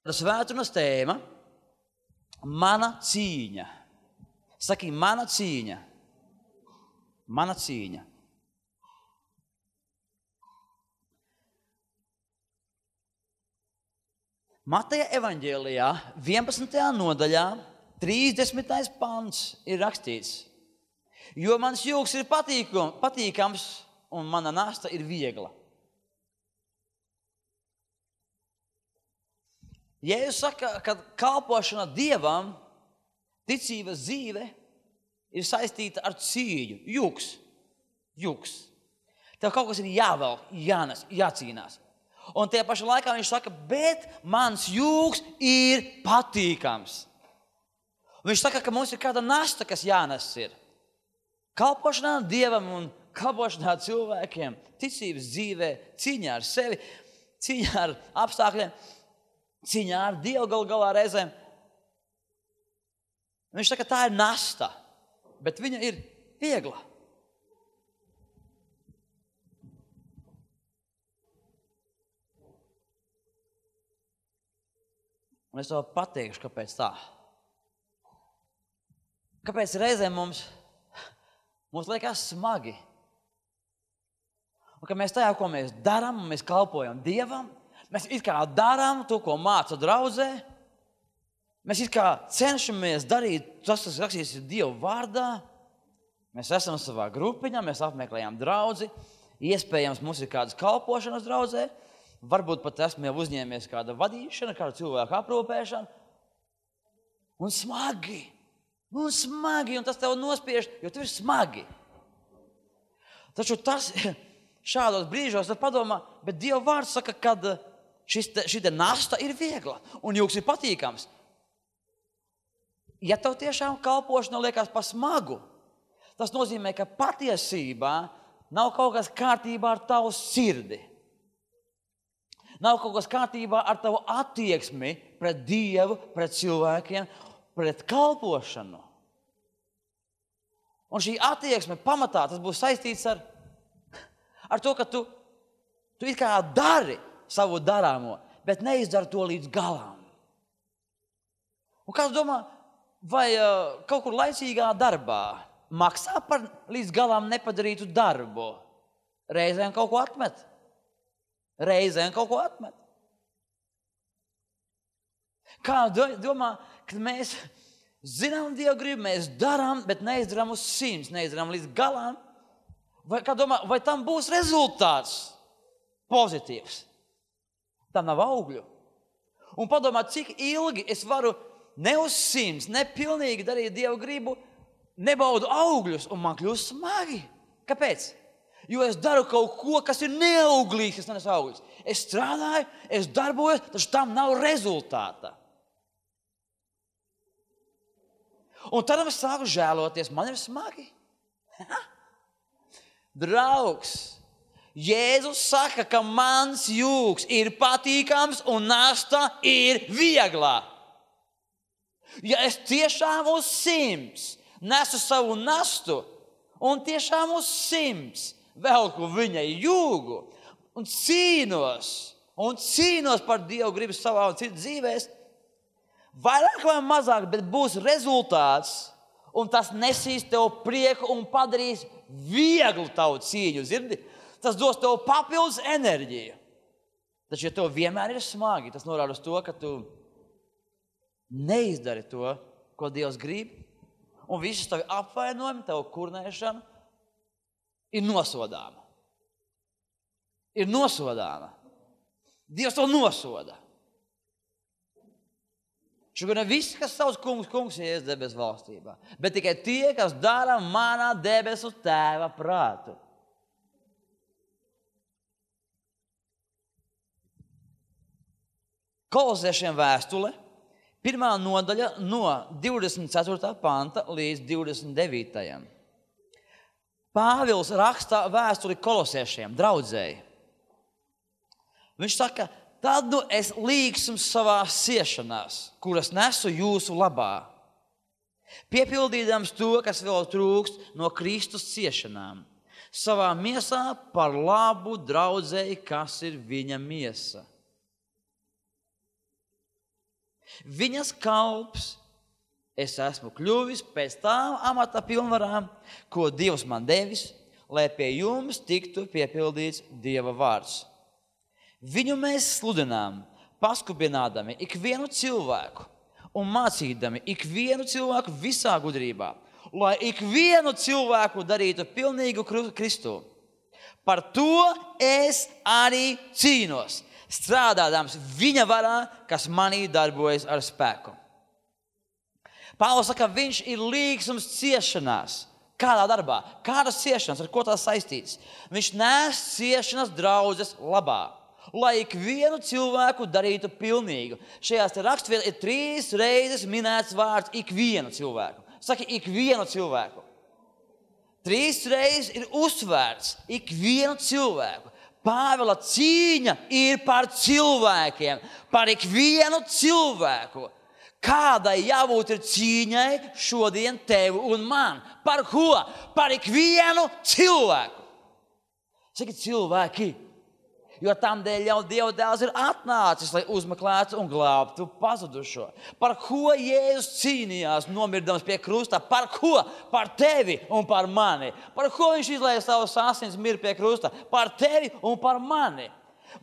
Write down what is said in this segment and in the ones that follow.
Svētdienas tēma – mana cīņa. Saki, mana cīņa. Mana cīņa. Mateja evaņģēlijā 11. nodaļā 30. pants ir rakstīts: jo mans jūgs ir patīkams un mana nasta ir viegla. Jēzus saka, ka kalpošana Dievam, ticības dzīve, ir saistīta ar cīņu. Jūgs. Tev kaut kas ir jāvelk, jānes, jācīnās. Un tajā pašā laikā viņš saka, bet mans jūgs ir patīkams. Un viņš saka, ka mums ir kāda nasta, kas jānes ir. Kalpošanā Dievam un kalpošanā cilvēkiem, ticības dzīvē, cīņā ar sevi, cīņā ar apstākļiem, cīņā ar Dievu galu galā reizēm. Viņš saka, tā ir nasta, bet viņa ir viegla. Un es tev pateikšu, kāpēc tā. Kāpēc reizēm mums liekas smagi. Un ka mēs tajā, ko mēs darām, mēs kalpojam Dievam, mēs it kā darām to, ko māca draudzē. Mēs it kā cenšamies darīt tas, kas rakstīts Dieva vārdā. Mēs esam savā grupiņā, mēs apmeklējam draudzi. Iespējams, mums ir kādas kalpošanas draudzē. Varbūt pat esmu jau uzņēmies kāda vadīšana, kāda cilvēka aprūpēšana. Un smagi, un tas tev nospiež, jo tev ir smagi. Taču tas šādos brīžos tad padomā, bet Dieva vārds saka, kad šī nasta ir viegla un jūgs ir patīkams. Ja tev tiešām kalpošana liekas pa smagu, tas nozīmē, ka patiesībā nav kaut kas kārtībā ar tavu sirdi. Nav kaut kas kārtībā ar tavu attieksmi pret Dievu, pret cilvēkiem, pret kalpošanu. Un šī attieksme pamatā tas būs saistīts ar to, ka tu it kā dari savu darāmo, bet neizdari to līdz galām. Un kāds domā, vai kaut kur laicīgā darbā maksā par līdz galām nepadarītu darbu? Reizēm kaut ko atmet. Kā domā, ka mēs zinām Dievu gribu, mēs darām, bet neizdarām uz 100, neizdarām līdz galām? Vai, kā domā, vai tam būs rezultāts pozitīvs? Tam nav augļu. Un padomā, cik ilgi es varu ne uz 100, nepilnīgi darīt Dievu gribu, nebaudu augļus, un man kļūst smagi. Kāpēc? Jo es daru kaut ko, kas ir neauglīgs, kas nenes augļus. Es strādāju, es darbojos, taču tam nav rezultāta. Un tad es sāku žēloties, man ir smagi. Draugs, Jēzus saka, ka mans jūgs ir patīkams un nasta ir viegla. Ja es tiešām uz 100 nesu savu nastu un tiešām uz 100 velku viņai jūgu un cīnos par Dievu gribu savā un citu dzīvēs, vairāk vai mazāk, bet būs rezultāts, un tas nesīs tev prieku un padarīs vieglu tavu cīņu, zirdi? Tas dos tev papildus enerģiju. Taču, ja tev vienmēr ir smagi, tas norāda uz to, ka tu neizdari to, ko Dievs grib, un visi tavi apvainojumi, tavu kurnēšana ir nosodāma. Dievs to nosoda. Šobrīd ne visi, kas savs kungs ies debesu valstībā, bet tikai tie, kas dara manā debesu tēva prātu. Kolosiešiem vēstule, 1. nodaļa no 24. panta līdz 29. Pāvils raksta vēstuli kolosiešiem, draudzēji. Viņš saka, tad nu es līgsmu savās ciešanās, kuras nesu jūsu labā, piepildīdams to, kas vēl trūkst no Kristus ciešanām, savā miesā par labu draudzēji, kas ir viņa miesa. Viņas kalps es esmu kļuvis pēc tām amata pilnvarām, ko Dievs man devis, lai pie jums tiktu piepildīts Dieva vārds. Viņu mēs sludinām, paskubinādami ikvienu cilvēku un mācīdami ikvienu cilvēku visā gudrībā, lai ikvienu cilvēku darītu pilnīgu Kristu. Par to es arī cīnos, strādādams viņa varā, kas manī darbojas ar spēku. Pāvils saka, viņš ir līgsms ciešanās. Kādā darbā? Kādas ciešanas? Ar ko tās saistītas? Viņš nes ciešanas draudzes labā, lai ikvienu cilvēku darītu pilnīgu. Šajās rakstvietās ir 3 reizes minēts vārds ikvienu cilvēku. Saki, ikvienu cilvēku. 3 reizes ir uzsvērts ikvienu cilvēku. Pāvila cīņa ir par cilvēkiem, par ikvienu cilvēku. Kādai jābūt ir cīņai šodien tevi un man? Par ko? Par ikvienu cilvēku. Saki, cilvēki. Jo tam dēļ jau Dieva dēls ir atnācis, lai uzmeklētu un glābtu pazudušo. Par ko Jēzus cīnījās, nomirdams pie krusta? Par ko? Par tevi un par mani. Par ko viņš izlēja savus asins mir pie krusta? Par tevi un par mani.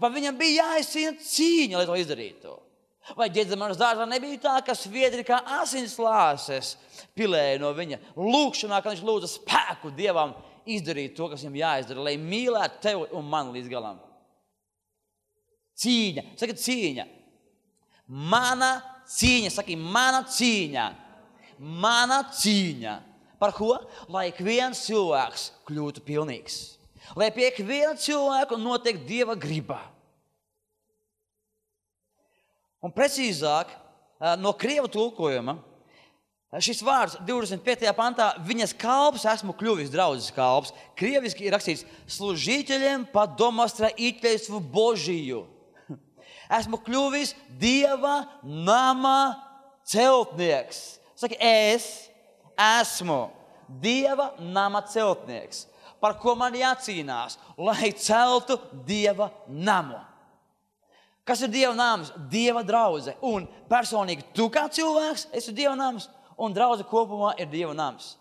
Vai viņam bija jāizcīna cīņa, lai to izdarītu? Vai Ģedzemanas dārzā nebija tā, ka sviedri kā asins lāses pilēja no viņa lūkšanā, kad viņš lūdza spēku Dievam izdarīt to, kas viņam jāizdara, lai mīlētu tevi un mani līdz galam? Cīņa. Saka, cīņa. Mana cīņa. Saki, mana cīņa. Mana cīņa. Par ko? Lai ik viens cilvēks kļūtu pilnīgs. Lai pie ik viena cilvēku notiek Dieva gribā. Un precīzāk, no krievu tulkojuma, šis vārds 25. pantā, viņas kalps esmu kļuvis, draudzes kalps. Krieviski ir rakstīts, служителем по домостроительству Божию. Esmu kļuvis Dieva nama celtnieks. Saki, es esmu Dieva nama celtnieks. Par ko man jācīnās? Lai celtu Dieva namu. Kas ir Dieva nams? Dieva draudze. Un personīgi tu kā cilvēks esi Dieva nams, un draudze kopumā ir Dieva nams.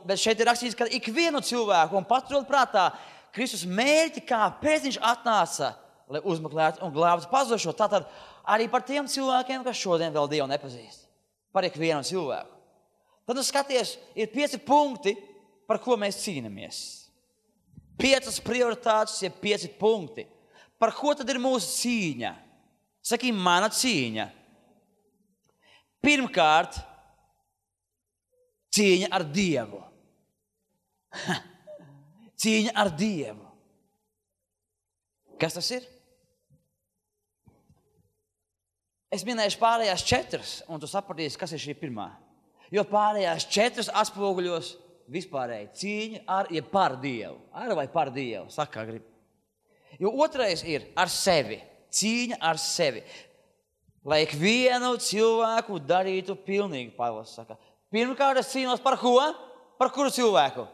Bet šeit ir rakstīts, ka ikvienu cilvēku, un paturot prātā Kristus mērķi, kāpēc viņš atnāca, lai uzmeklētu un glābtu pazudušo. Tātad arī par tiem cilvēkiem, kas šodien vēl Dievu nepazīst. Par ikvienu cilvēku. Tad skaties, ir 5 punkti, par ko mēs cīnamies. 5 prioritātes, ir 5 punkti. Par ko tad ir mūsu cīņa? Saki, mana cīņa. Pirmkārt, cīņa ar Dievu. Cīņa ar Dievu. Kas tas ir? Es minēšu pārējās 4, un tu sapratīsi, kas ir šī pirmā. Jo pārējās 4 atspoguļos vispārēji cīņa ar, ja par Dievu. Ar vai par Dievu? Saka, kā grib. Jo otrais ir ar sevi. Cīņa ar sevi. Lai ik vienu cilvēku darītu pilnīgi, Pāvils saka. Pirmkārt, es cīnos par ko? Par kuru cilvēku?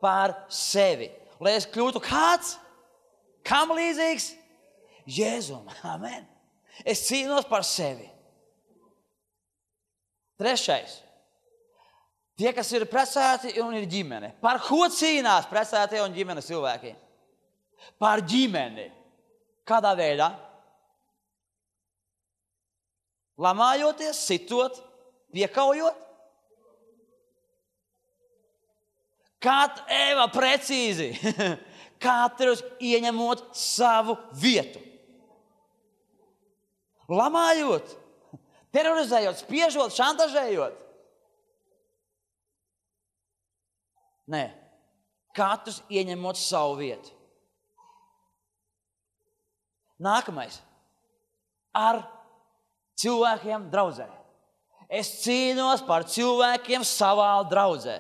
Par sevi. Lai es kļūtu kāds? Kam līdzīgs? Jēzum. Amen. Es cīnos par sevi. Trešais. Tie, kas ir precēti un ir ģimene. Par ko cīnās precētie un ģimenes cilvēki? Par ģimeni. Kādā veidā? Lamājoties, sitot, piekaujot? Eva precīzi. Katrs ieņemot savu vietu. Lamājot, terorizējot, spiežot, šantažējot. Nē, katrs ieņemot savu vietu. Nākamais. Ar cilvēkiem draudzē. Es cīnos par cilvēkiem savā draudzē.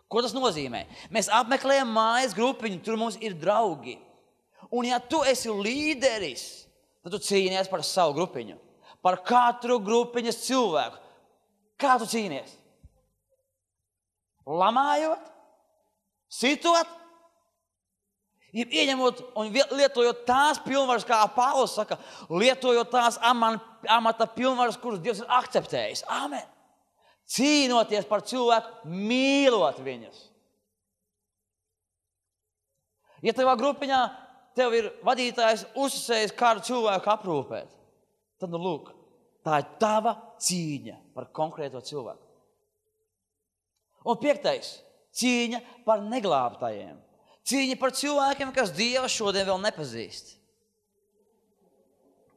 Ko tas nozīmē? Mēs apmeklējam mājas grupiņu, tur mums ir draugi. Un ja tu esi līderis, tad tu cīnies par savu grupiņu. Par katru grupiņas cilvēku. Kā tu cīnies? Lamājot? Sitot? Ieņemot un lietojot tās pilnvaras, kā Pāvils saka, lietojot tās man amata pilnvaras, kuras Dievs ir akceptējis. Amen. Cīnoties par cilvēku, mīlot viņus. Ja tavā grupiņā tev ir vadītājs uzticējis kādu cilvēku aprūpēt, tad nu lūk, tā ir tava cīņa par konkrēto cilvēku. Un 5. Cīņa par neglābtajiem. Cīņa par cilvēkiem, kas Dievu šodien vēl nepazīst.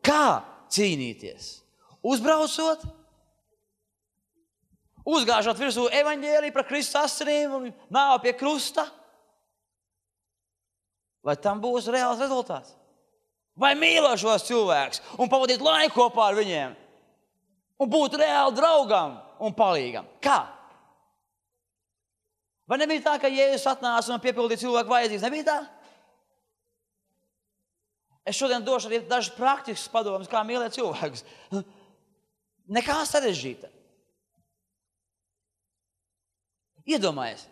Kā cīnīties? Uzbraucot, uzgāžot virsū evaņģēliju par Kristus asinīm un nāvi pie krusta, vai tam būs reāls rezultāts? Vai mīlot šos cilvēkus un pavadīt laiku kopā ar viņiem un būt reāli draugam un palīgam? Kā? Vai nebija tā, ka Jēzus atnāca un piepildīja cilvēku vajadzības? Nebija tā? Es šodien došu arī dažus praktiskus padomus, kā mīlēt cilvēkus. Nekā sarežģīta. Iedomājies.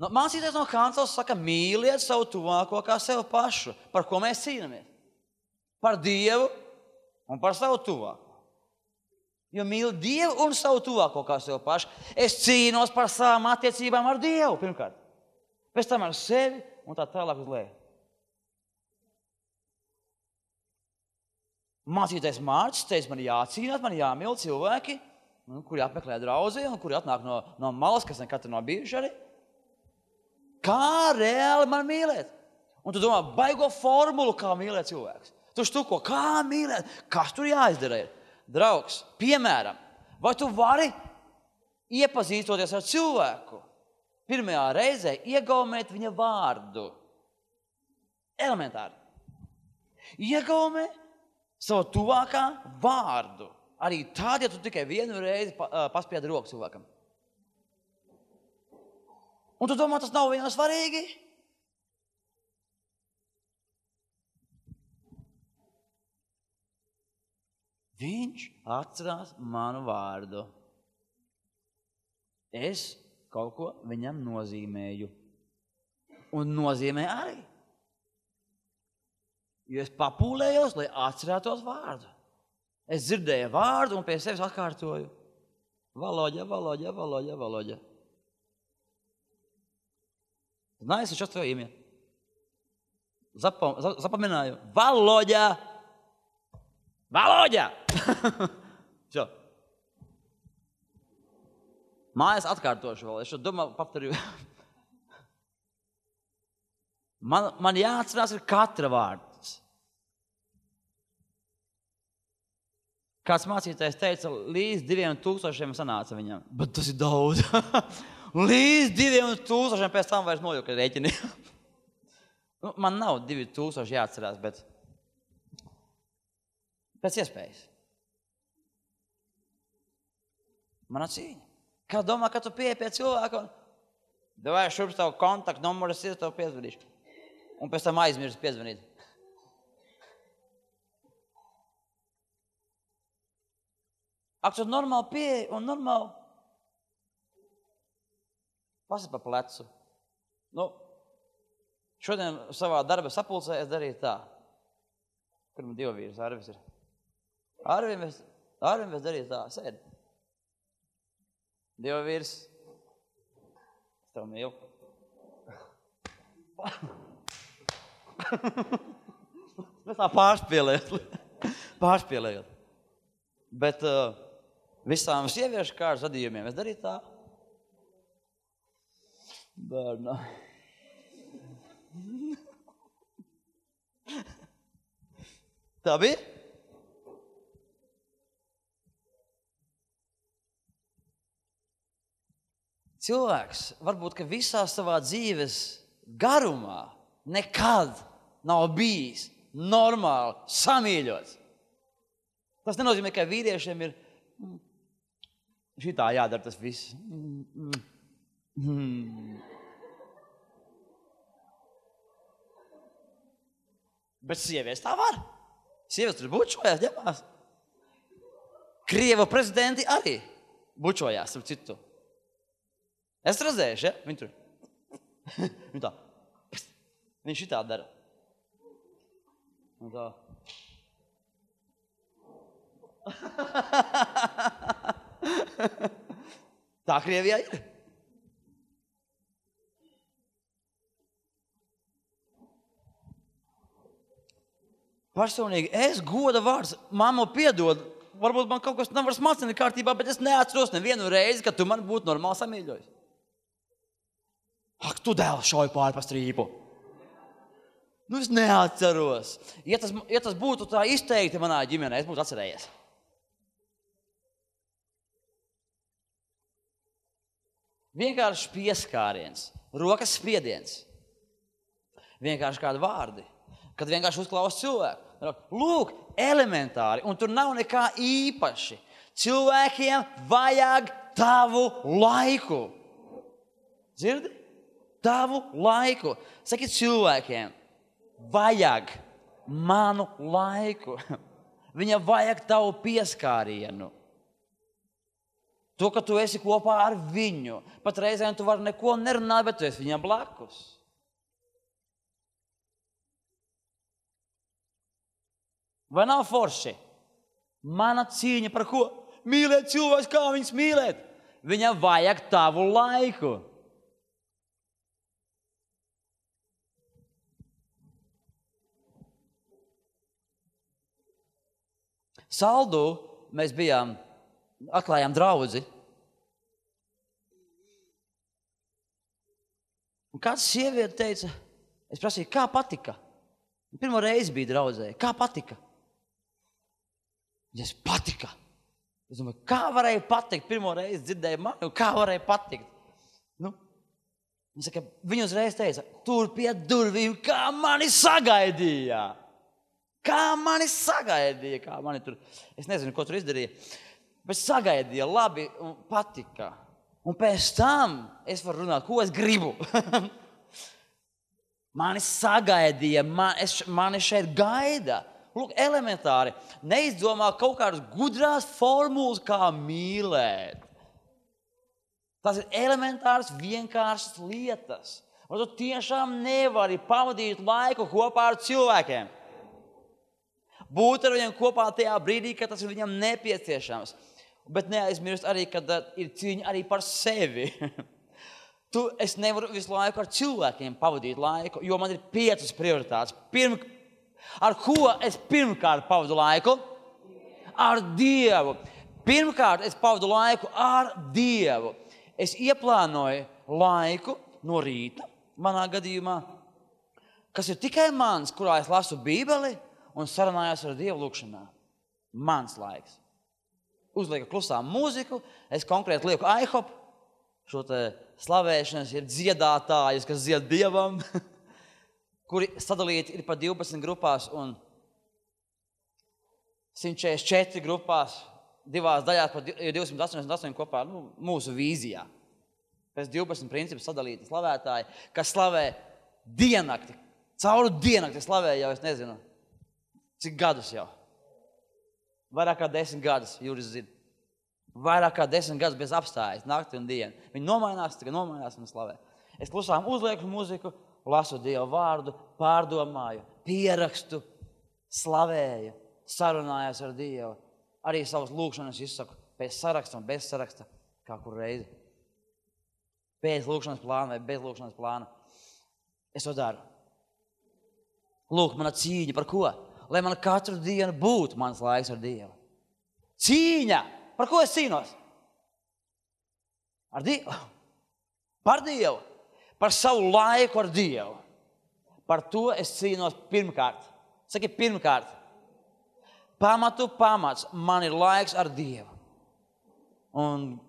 Mācītājs no kancels saka, mīliet savu tuvāko kā sev pašu. Par ko mēs cīnāmies? Par Dievu un par savu tuvāko. Jo mīlu Dievu un savu tuvāko kā sev pašu. Es cīnos par savām attiecībām ar Dievu, pirmkārt. Pēc tam ar sevi un tā tālāk uz leju. Mācītājs Mārcis teica, man jācīnās, man jāmīl cilvēki, kuri apmeklē drauzi un kuri atnāk no malas, kas nekad nav bijuši arī. Kā reāli man mīlēt? Un tu domā, baigo formulu, kā mīlēt cilvēks. Tu štuko, kā mīlēt? Kas tur jāizdara ir? Draugs, piemēram, vai tu vari iepazīstoties ar cilvēku, pirmajā reizē iegaumēt viņa vārdu? Elementāri. Iegaumē savu tuvākā vārdu. Arī tad, ja tu tikai vienu reizi paspiedi roku cilvēkam. Un tu domā, tas nav vienā svarīgi? Viņš atcerās manu vārdu. Es kaut ko viņam nozīmēju. Un nozīmēju arī. Jo es papūlējos, lai atcerētos vārdu. Es dzirdēju vārdu un pie sevis atkārtoju. Valoģa, valoģa, valoģa, valoģa. Знаешь, сейчас твое имя? Запоминаю. Володя. Володя! Все. Mājās atkārtošu vēl. Es šo domāju, paturīju. Man jāatcerās ir katra vārds. Kāds mācītājs teica, līdz 2000 sanāca viņam. Bet tas ir daudz. Līdz 2000 pēc tam vairs nojuka rēķini. Man nav 2000 jāatcerās, bet pēc iespējas. Mana cīņa. Kā domā, ka tu pieeji pie cilvēka un davai šurp tavu kontaktu numuru, es tev piezvanīšu. Un pēc tam aizmirst piezvanīt. Ak, tu normāli pieeji un normāli pasi pa plecu. Šodien savā darba sapulcē es darīju tā. Kur man 2 vīrs, Arvis ir. Arvim es darīju tā, sēdi. 2 vīrs. Es tev mīlu. Mēs tā pārspēlējot. Bet visām sieviešu kārtas gadījumiem es darīju tā. Bērnā. Tā bija? Cilvēks varbūt, ka visā savā dzīves garumā nekad nav bijis normāli samīļots. Tas nenozīmē, ka vīriešiem ir šitā jādara tas viss. Bet sievietes tā var. Sievietes tur bučojās, ģemās. Krievu prezidenti arī bučojās, ar citu. Es redzējuši, ja? Viņi tur. Viņi tā. Viņš šitā dara. Un tā. Tā Krievijā ir. Personīgi es goda vārds, mamma piedod, varbūt man kaut kas nav ar smaceni kārtībā, bet es neatceros nevienu reizi, kad tu man būtu normāli samīļojis. Ak, tu dēl šauj pāri pa strīpu. Nu, es neatceros. Ja tas būtu tā izteikti manā ģimenē, es būtu atcerējies. Vienkārši pieskāriens, rokas spiediens. Vienkārši kādi vārdi, kad vienkārši uzklaus cilvēku. Lūk, elementāri, un tur nav nekā īpaši. Cilvēkiem vajag tavu laiku. Dzirdi? Tavu laiku. Saki cilvēkiem, vajag manu laiku. Viņam vajag tavu pieskārienu. To, ka tu esi kopā ar viņu. Pat reizēm tu vari neko nerunāt, bet tu esi viņam blakus. Vai nav forši? Mana cīņa par ko? Mīlēt cilvēks, kā viņus mīlēt? Viņam vajag tavu laiku. Saldu mēs atklājām draudzi. Un kāds sieviete teica, es prasīju, kā patika? Pirmo reizi bija draudzē, kā patika? Es patika. Es domāju, kā varēja patikt? Pirmo reizi dzirdēju mani, kā varēja patikt? Viņa uzreiz teica, tur pie durvīm, kā mani sagaidīja. Kā mani sagaidīja, kā mani tur, es nezinu, ko tur izdarīja, bet sagaidīja, labi, un patika. Un pēc tam es varu runāt, ko es gribu. Mani sagaidīja, mani šeit gaida. Lūk, elementāri, neizdomā kaut kādas gudrās formulas, kā mīlēt. Tas ir elementāras, vienkāršas lietas. Un tu tiešām nevari pavadīt laiku kopā ar cilvēkiem. Būt ar viņiem kopā tajā brīdī, kad tas ir viņam nepieciešams. Bet neaizmirst arī, kad ir cīņa arī par sevi. Es nevaru visu laiku ar cilvēkiem pavadīt laiku, jo man ir 5 prioritātes. Ar ko es pirmkārt pavadu laiku? Ar Dievu. Pirmkārt, es pavadu laiku ar Dievu. Es ieplānoju laiku no rīta, manā gadījumā, kas ir tikai mans, kurā es lasu Bībeli un sarunājos ar Dievu lūkšanā. Mans laiks. Uzlieku klusā mūziku, es konkrēti lieku IHOP, šo te slavēšanas ir dziedātājus, kas dzied Dievam, kuri sadalīti ir pa 12 grupās un 144 grupās, 2 daļās pa 288 kopā, mūsu vīzijā. Pēc 12 principu sadalīti slavētāji, kas slavē diennakti, cauru diennakti slavē jau, es nezinu, cik gadus jau. Vairāk kā 10 gadus, Juris zina. Vairāk kā 10 gadus bez apstājas, nakti un dienu. Viņi nomainās un slavē. Es klusām uzlieku mūziku, lasu Dievu vārdu, pārdomāju, pierakstu, slavēju, sarunājos ar Dievu. Arī savas lūkšanas izsaku pēc saraksta un bez saraksta, kā kur reizi. Pēc lūkšanas plāna vai bez lūkšanas plāna. Es to daru. Lūk, mana cīņa par ko? Lai man katru dienu būtu mans laiks ar Dievu. Cīņa! Par ko es cīnos? Ar Dievu. Par Dievu. Par savu laiku ar Dievu. Par to es cīnos pirmkārt. Saki pirmkārt. Pamats. Man ir laiks ar Dievu. Un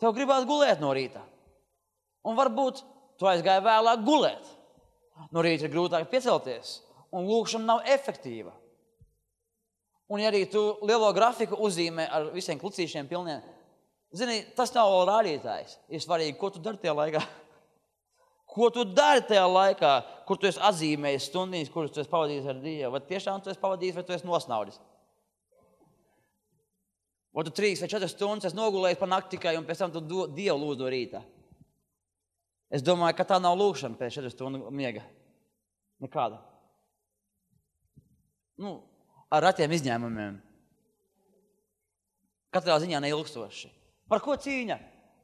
tev gribētu gulēt no rīta. Un varbūt tu aizgāji vēlāk gulēt. No rīta ir grūtāk piecelties. Un lūkšana nav efektīva. Un ja arī tu lielo grafiku uzzīmē ar visiem klucīšiem pilniem, zini, tas nav vēl rādītājs. Ir svarīgi, ko tu dari tajā laikā. Ko tu dari tajā laikā, kur tu esi atzīmējis stundīs, kuras tu esi pavadījis ar Dievu. Vai tiešām tu esi pavadījis, vai tu esi nosnaudis? Vai tu 3 vai 4 stundas esi nogulējis pa nakti tikai, un pēc tam tu Dievu lūdz no rīta? Es domāju, ka tā nav lūkšana pēc 4 stundu miega. Nekāda. Ar ratiem izņēmumiem. Katrā ziņā neilgstoši. Par ko cīņa?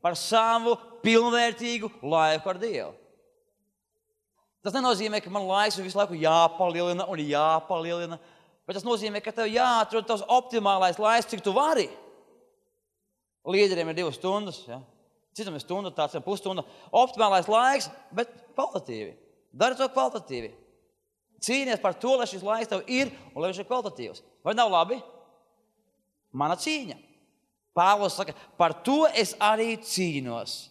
Par savu pilnvērtīgu laiku ar Dievu. Tas nenozīmē, ka man laiks visu laiku jāpalielina un jāpalielina, bet tas nozīmē, ka tev jāatrod tavs optimālais laiks, cik tu vari. Līderiem ir 2 stundas, ja? Citam ir stunda, tāds ir pusstunda. Optimālais laiks, bet kvalitatīvi. Dari to kvalitatīvi. Cīnies par to, lai šis laiks tev ir un lai viņš ir kvalitatīvs. Vai nav labi? Mana cīņa. Pāvils saka, par to es arī cīnos.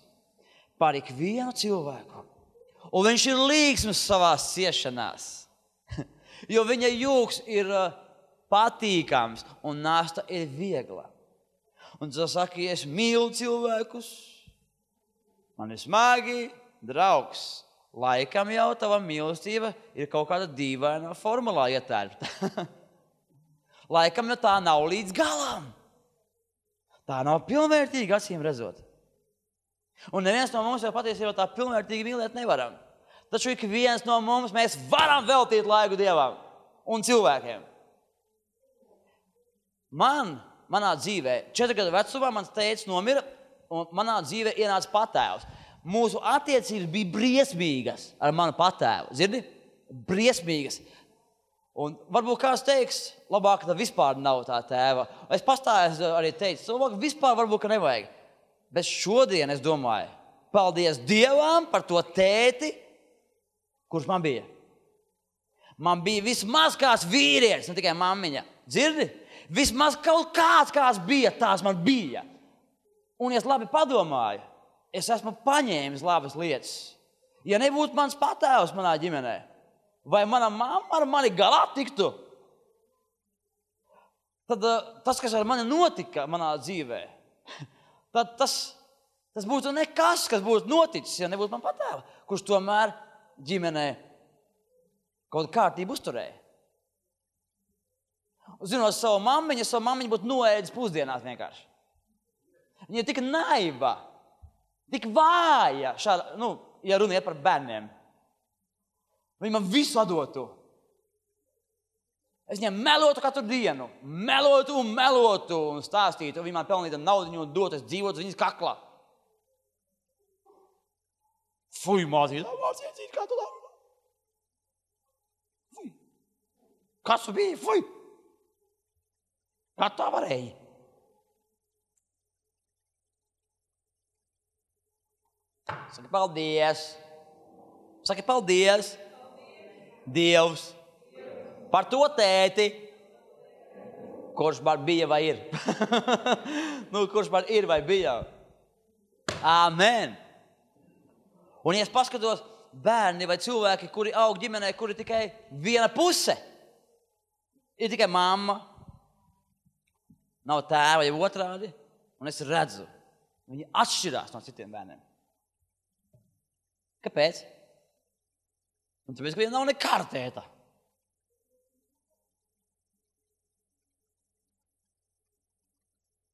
Par ikvienu cilvēku. Un viņš ir līgsms savās ciešanās. Jo viņa jūks ir patīkams un nasta ir viegla. Un tas saka, ja es mīlu cilvēkus, man ir smagi, draugs. Laikam jau tava mīlestība ir kaut kāda dīvaina formulā ietērpta. Laikam jau tā nav līdz galam. Tā nav pilnvērtīga, acīm redzot. Un neviens no mums jau patiesībā tā pilnvērtīgi mīlēt nevaram. Taču ik viens no mums mēs varam veltīt laiku Dievam un cilvēkiem. Manā dzīvē, 4 gadu vecumā, mans tētis nomira, un manā dzīvē ienāca patēvs. Mūsu attiecības bija briesmīgas ar manu patēvu. Zirdi? Briesmīgas. Un varbūt kāds teiks, labāk, ka vispār nav tā tēva. Es pastāju arī teicu, labāk vispār varbūt, ka nevajag. Bet šodien es domāju, paldies Dievam par to tēti, kurš man bija. Man bija vismaz kāds vīrietis, ne tikai mammiņa. Dzirdi? Vismaz kaut kāds bija, tās man bija. Un es labi padomāju, es esmu paņēmis labas lietas. Ja nebūtu mans patēvs manā ģimenē, vai mana mamma ar mani galā tiktu, tad tas, kas ar mani notika manā dzīvē, tad tas būtu nekas, kas būtu noticis, ja nebūtu man patēva, kurš tomēr ģimenē kaut kārtību uzturēja. Zinot savu mammiņu būtu noēdis pusdienās vienkārši. Viņa ir tik naiva, tik vāja, šāda, ja runa ir par bērniem. Viņa man visu atdotu. Es viņam melotu katru dienu, melotu un stāstītu, un viņa man pelnītu naudiņu un dotu, es dzīvotu viņas kaklā. Fuj, mācīt, kā tu dari? Fuj. Kas tu biji? Fuj. Kā tā varēja? Saki paldies. Saki paldies. Dievs. Par to tēti. Kurš man bija vai ir? Kurš man ir vai bija? Āmen. Un ja es paskatos bērni vai cilvēki, kuri aug ģimenē, kuri tikai viena puse. Ir tikai mamma. Nav tēva, ja otrādi. Un es redzu, viņi atšķirās no citiem bērniem. Kāpēc? Un tāpēc, ka viņam nav nekāda tēta.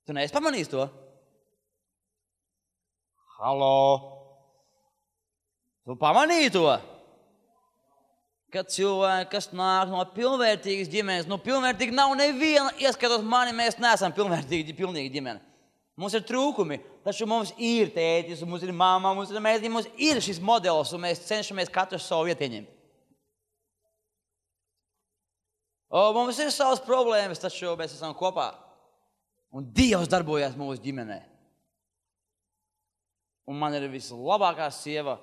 Tu neesi pamanījis to? Halo? Tu pamanīji to? Kad cilvēki, kas nāk no pilnvērtīgas ģimenes, pilnvērtīgi nav neviena, ieskatot mani, mēs neesam pilnīgi ģimene. Mums ir trūkumi, taču mums ir tētis, mums ir mamma, mums ir mēģi, mums ir šis modelis, un mēs cenšamies katru savu vietu ieņemt. Mums ir savas problēmas, taču mēs esam kopā. Un Dievs darbojas mūsu ģimenē. Un man ir vislabākā sieva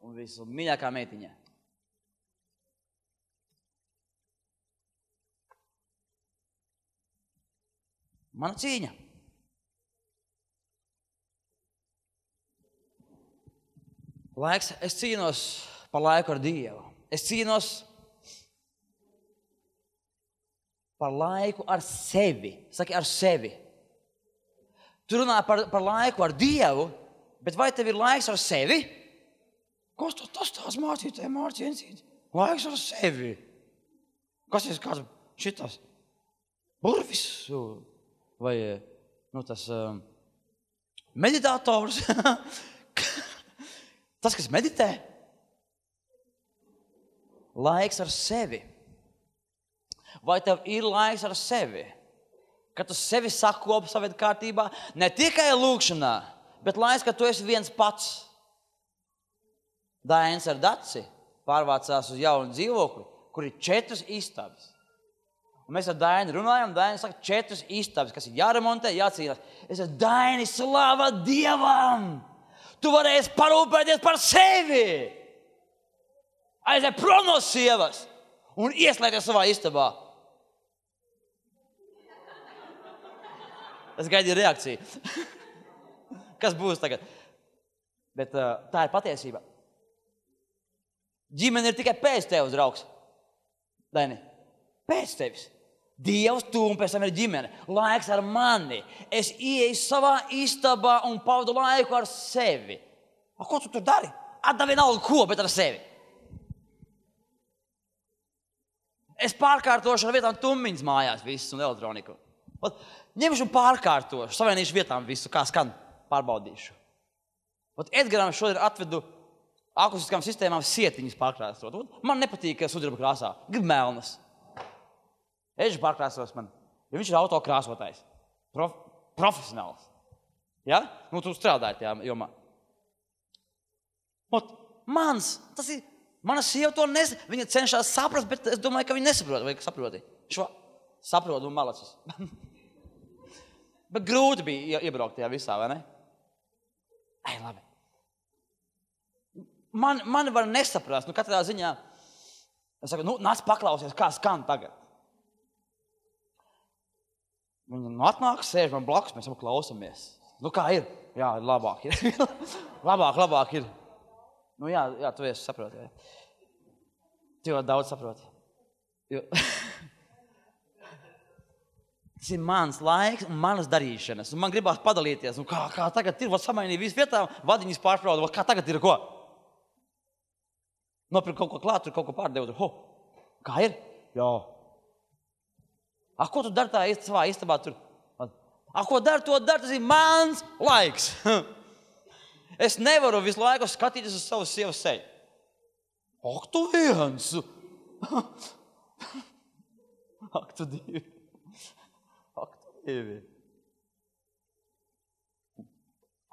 un vismīļākā meitiņa. Mana cīņa. Laiks, es cīnos par laiku ar Dievu. Es cīnos par laiku ar sevi. Saki, ar sevi. Tu runā par laiku ar Dievu, bet vai tev ir laiks ar sevi? Kas tas tās mācītāji, mārciensīt? Laiks ar sevi. Kas ir kāds šitas? Burvis vai tas meditātors? Tas, kas meditē. Laiks ar sevi. Vai tev ir laiks ar sevi? Kad tu sevi sakopi, saved kārtībā, ne tikai lūkšanā, bet laiks, ka tu esi viens pats. Dainis ar Daci pārvācās uz jaunu dzīvokli, kur ir 4 istabas. Un mēs ar Daini runājam, Daini saka, 4 istabas, kas ir jāremontē, jācīnās. Es saku, Daini, slava Dievam! Tu varēsi parūpēties par sevi! Aiziet prom no sievas un ieslēgties savā istabā. Es gaidīju reakciju. Kas būs tagad? Bet tā ir patiesība. Ģimene ir tikai pēc tevis, draugs. Daini, pēc tevis. Dievs, tu un pēc tam ir ģimene. Laiks ar mani. Es ieeju savā istabā un pavadu laiku ar sevi. Ko tu tur dari? Atdavi vienalga ko, bet ar sevi. Es pārkārtošu ar vietām tummiņas mājās visu un elektroniku. Ņemšu un pārkārtošu, savienīšu vietām visu, kā skan, pārbaudīšu. Edgaram šodien atvedu akustiskām sistēmām sietiņas pārkrāsot. Man nepatīk sudraba krāsā, grib melnas. Ežu pārkrāsos man, jo viņš ir auto krāsotājs. Profesionāls. Ja? Tu strādāji tajā jomā. Mana sieva to nesaprot. Viņa cenšas saprast, bet es domāju, ka viņa nesaprot. Vai saproti? Šo saprotu un malacis. Bet grūti bija iebraukt tajā visā, vai ne? Labi. Man var nesaprast. Katrā ziņā, es saku, nāc paklausies, kā skan tagad. Viņa atnāk, sēž man blakus, mēs klausamies. Kā ir? Jā, labāk ir. labāk ir. Jā, tu esi saproti. Tu jau daudz saproti. Tas ir mans laiks un manas darīšanas. Un man gribās padalīties. Kā tagad ir? Samainīja visu vietām, vadiņas pārsprauda. Kā tagad ir ko? Nopirkt kaut ko klāt, kaut ko pārdevu. Kā ir? Jā. Ko tu dari tā savā istabā tur? Ko dari, to dari, tas ir mans laiks. Es nevaru visu laiku skatīties uz savu sievas seju. Ak, tu viens! Ak, tu divi!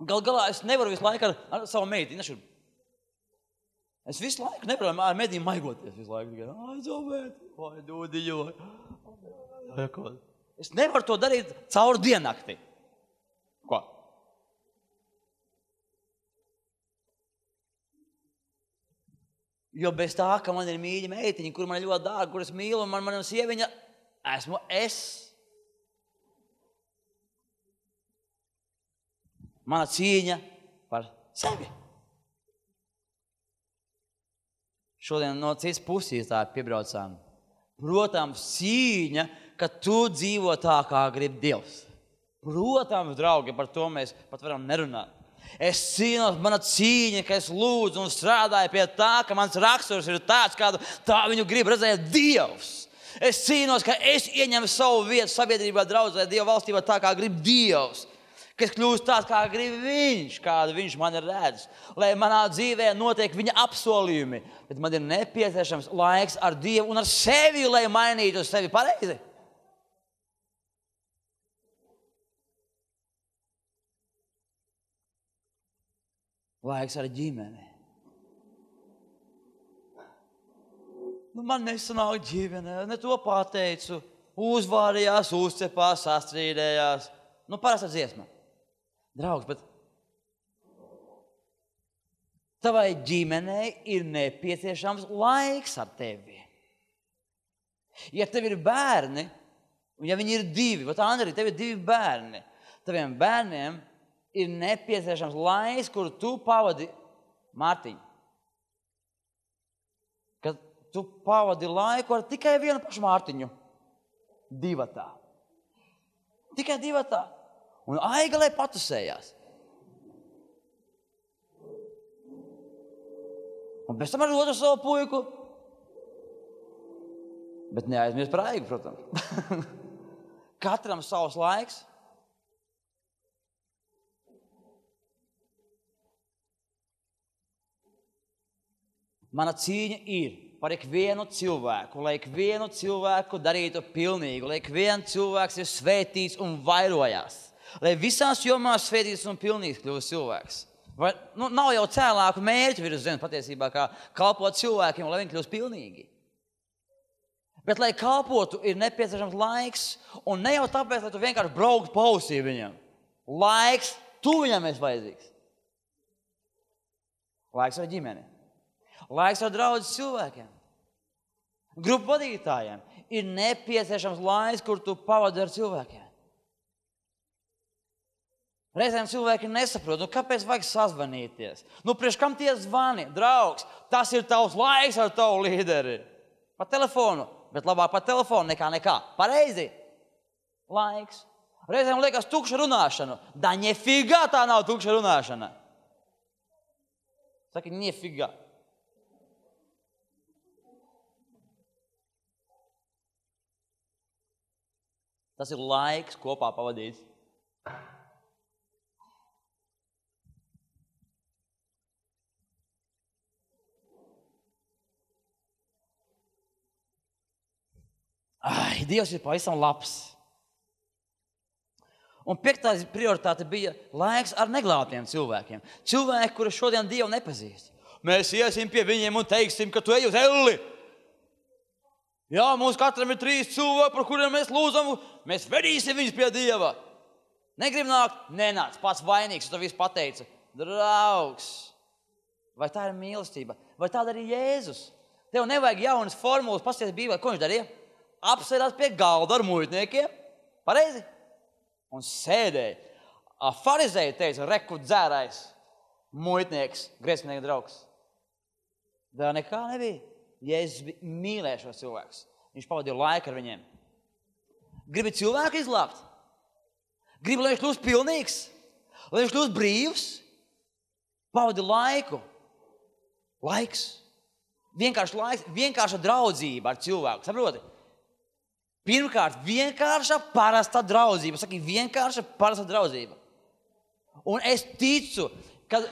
Gal galā es nevaru visu laiku ar savu meitiņu. Es visu laiku nevaru ar meitiņu maigoties visu laiku. Vai dodiņu, vai... Es nevaru to darīt caur diennakti. Ko? Jo bez tā, ka man ir mīļa meitiņa, kur man ir ļoti dārga, kur es mīlu, un man sieviņa, esmu es. Mana cīņa par sevi. Šodien no citas puses tā piebraucām. Protams, cīņa, ka tu dzīvo tā, kā grib Dievs. Protams, draugi, par to mēs pat varam nerunāt. Es cīnos, mana cīņa, ka es lūdzu un strādāju pie tā, ka mans raksturs ir tāds, kādu tā viņu grib redzēt Dievs. Es cīnos, ka es ieņemu savu vietu sabiedrībā, draudzē, Dieva valstībā tā, kā grib Dievs. Ka es kļūstu tāds, kā grib viņš, kādu viņš man ir redzis. Lai manā dzīvē notiek viņa apsolījumi. Bet man ir nepieciešams laiks ar Dievu un ar sevi, lai mainītu sevi pareizi. Laiks ar ģimeni. Man nesanāk ģimene, ne to pateicu. Uzvārījās, uzcepās, sastrīdējās. Parasta dziesma. Draugs, bet tavai ģimenei ir nepieciešams laiks ar tevi. Ja tev ir bērni, un ja viņi ir 2, Andri, tev ir 2 bērni, taviem bērniem ir nepieciešams laiks, kur tu pavadi Mārtiņu. Kad tu pavadi laiku ar tikai vienu pašu Mārtiņu. 2. Tikai 2. Un Aiga, lai patusējās. Un pēc tam ar otru savu puiku. Bet neaizmirst par Aigu, protams. Katram savs laiks. Mana cīņa ir par ikvienu cilvēku, lai ikvienu cilvēku darītu pilnīgu, lai ikvienu cilvēks ir svētīts un vairojās, lai visās jomās svētīts un pilnīgs kļūst cilvēks. Vai, nav jau cēlāku mērķu virs zemes patiesībā, kā kalpot cilvēkiem, lai viņi kļūst pilnīgi. Bet, lai kalpotu, ir nepieciešams laiks, un ne jau tāpēc, lai tu vienkārši brauktu pausī viņam. Laiks, tu viņam esi vajadzīgs. Laiks ar ģimeni. Laiks ar draudzes cilvēkiem. Grupu vadītājiem ir nepieciešams laiks, kur tu pavadi ar cilvēkiem. Reizēm cilvēki nesaprot, kāpēc vajag sazvanīties. Priekš kam tie zvani? Draugs, tas ir tavs laiks ar tavu līderi. Pa telefonu, bet labāk pa telefonu nekā. Pareizi? Laiks. Reizēm liekas tukša runāšana. Da ņefigā tā nav tukša runāšana. Saki, ņefigā. Tas ir laiks kopā pavadīts. Dievs ir pavisam labs. Un 5. prioritāte bija laiks ar neglābtiem cilvēkiem. Cilvēki, kuri šodien Dievu nepazīst. Mēs iesim pie viņiem un teiksim, ka tu ej uz elli. Jā, mums katram ir 3 cilvēki, par kuriem mēs lūdzam, mēs vedīsim viņus pie Dieva. Negrib nākt? Nenāc, pats vainīgs, tu visu pateici. Draugs, vai tā ir mīlestība? Vai tā darīja Jēzus? Tev nevajag jaunas formulas, pasties Bībelē, ko viņš darīja? Apsēdās pie galda ar muitniekiem, pareizi? Un sēdēja. Farizēji teica, reku dzērais, muitnieks, grēcinieka draugs. Tā nekā nebija. Jēzus mīlēja šos cilvēkus. Viņš pavadīja laiku ar viņiem. Gribi cilvēku izglābt? Gribi, lai viņš kļūst pilnīgs? Lai viņš kļūst brīvs? Pavadi laiku. Laiks. Vienkārši laiks, vienkārša draudzība ar cilvēku. Saproti? Pirmkārt, vienkārša parasta draudzība. Saki, vienkārša parasta draudzība. Un es ticu, ka